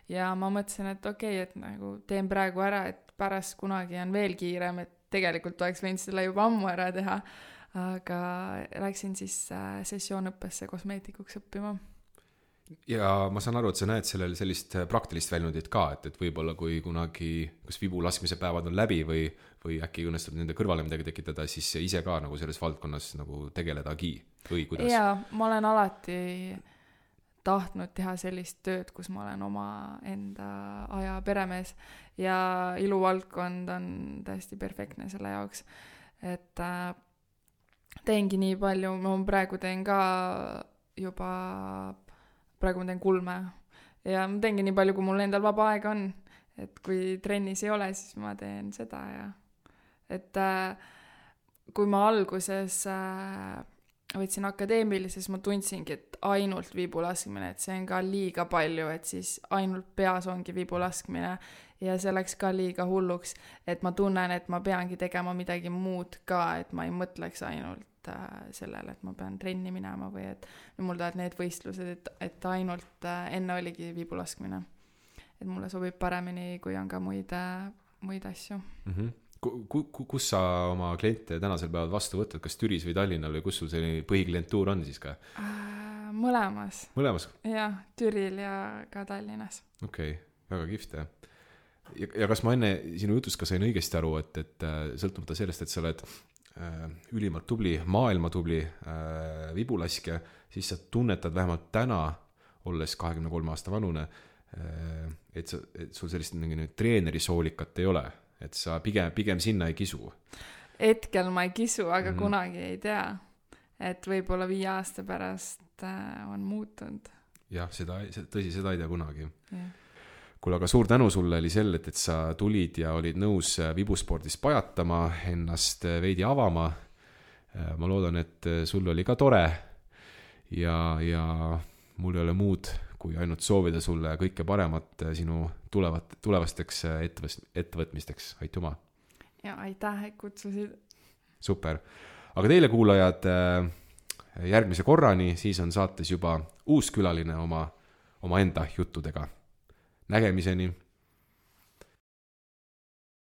ja ma mõtlesin, et okei, et nagu teen praegu ära, et pärast kunagi on veel kiirem, et tegelikult oleks võinud selle juba ammu ära teha, aga läksin siis sessioonõppesse kosmeetikuks õppima. Ja ma saan aru, et sa näed sellel sellist praktilist väljundit ka, et võib-olla kui kunagi kas vibu laskmise päevad on läbi või äkki õnnestub nende kõrvale midagi tekitada, siis ise ka nagu selles valdkonnas nagu tegeledagi või kuidas? Jaa, ma olen alati tahtnud teha sellist tööd, kus ma olen oma enda aja peremees ja iluvaldkond on täiesti perfektne selle jaoks, et teengi nii palju, ma praegu teen ka juba praegu ma teen kulme ja ma teengi nii palju, kui mul endal vaba aega on, et kui trennis ei ole, siis ma teen seda ja et kui ma alguses võtsin akadeemilises, ma tundsingi, et ainult vibulaskmine, et see on ka liiga palju, et siis ainult peas ongi vibulaskmine ja see läks ka liiga hulluks, et ma tunnen, et ma peangi tegema midagi muud ka, et ma ei mõtleks ainult sellele, et ma pean trenni minema või et mul tahavad need võistlused, et ainult enne oligi vibulaskmine. Et mulle sobib paremini, kui on ka muid asju. Mm-hmm. Kus sa oma kliente tänasel päeval vastu võtad, kas Türis või Tallinnal või kus sul selline põhiklientuur on siis ka? Mõlemas. Mõlemas? Jah, Türil ja ka Tallinnas. Okei, väga kihvt. Ja kas ma enne sinu jutust ka sain õigesti aru, et sõltumata sellest, et sa oled ülimalt tubli, maailma tubli vibulaskja, siis sa tunnetad vähemalt täna, olles 23 aasta vanune, et sul sellist treeneri soolikat ei ole, et sa pigem sinna ei kisu. Hetkel ma ei kisu, aga kunagi ei tea, et võib-olla 5 aasta pärast on muutunud. Jah, tõsi, seda ei tea kunagi. Ja. Kuule, aga suur tänu sulle, Elisel, et sa tulid ja olid nõus vibuspordis pajatama, ennast veidi avama. Ma loodan, et sul oli ka tore ja mul ei ole muud, kui ainult soovida sulle kõike paremat sinu tulevasteks ettevõtmisteks. Aitüma! Ja aitäh, et kutsusid! Super! Aga teile kuulajad, järgmise korrani, siis on saates juba uus külaline oma enda juttudega. Nägemiseni!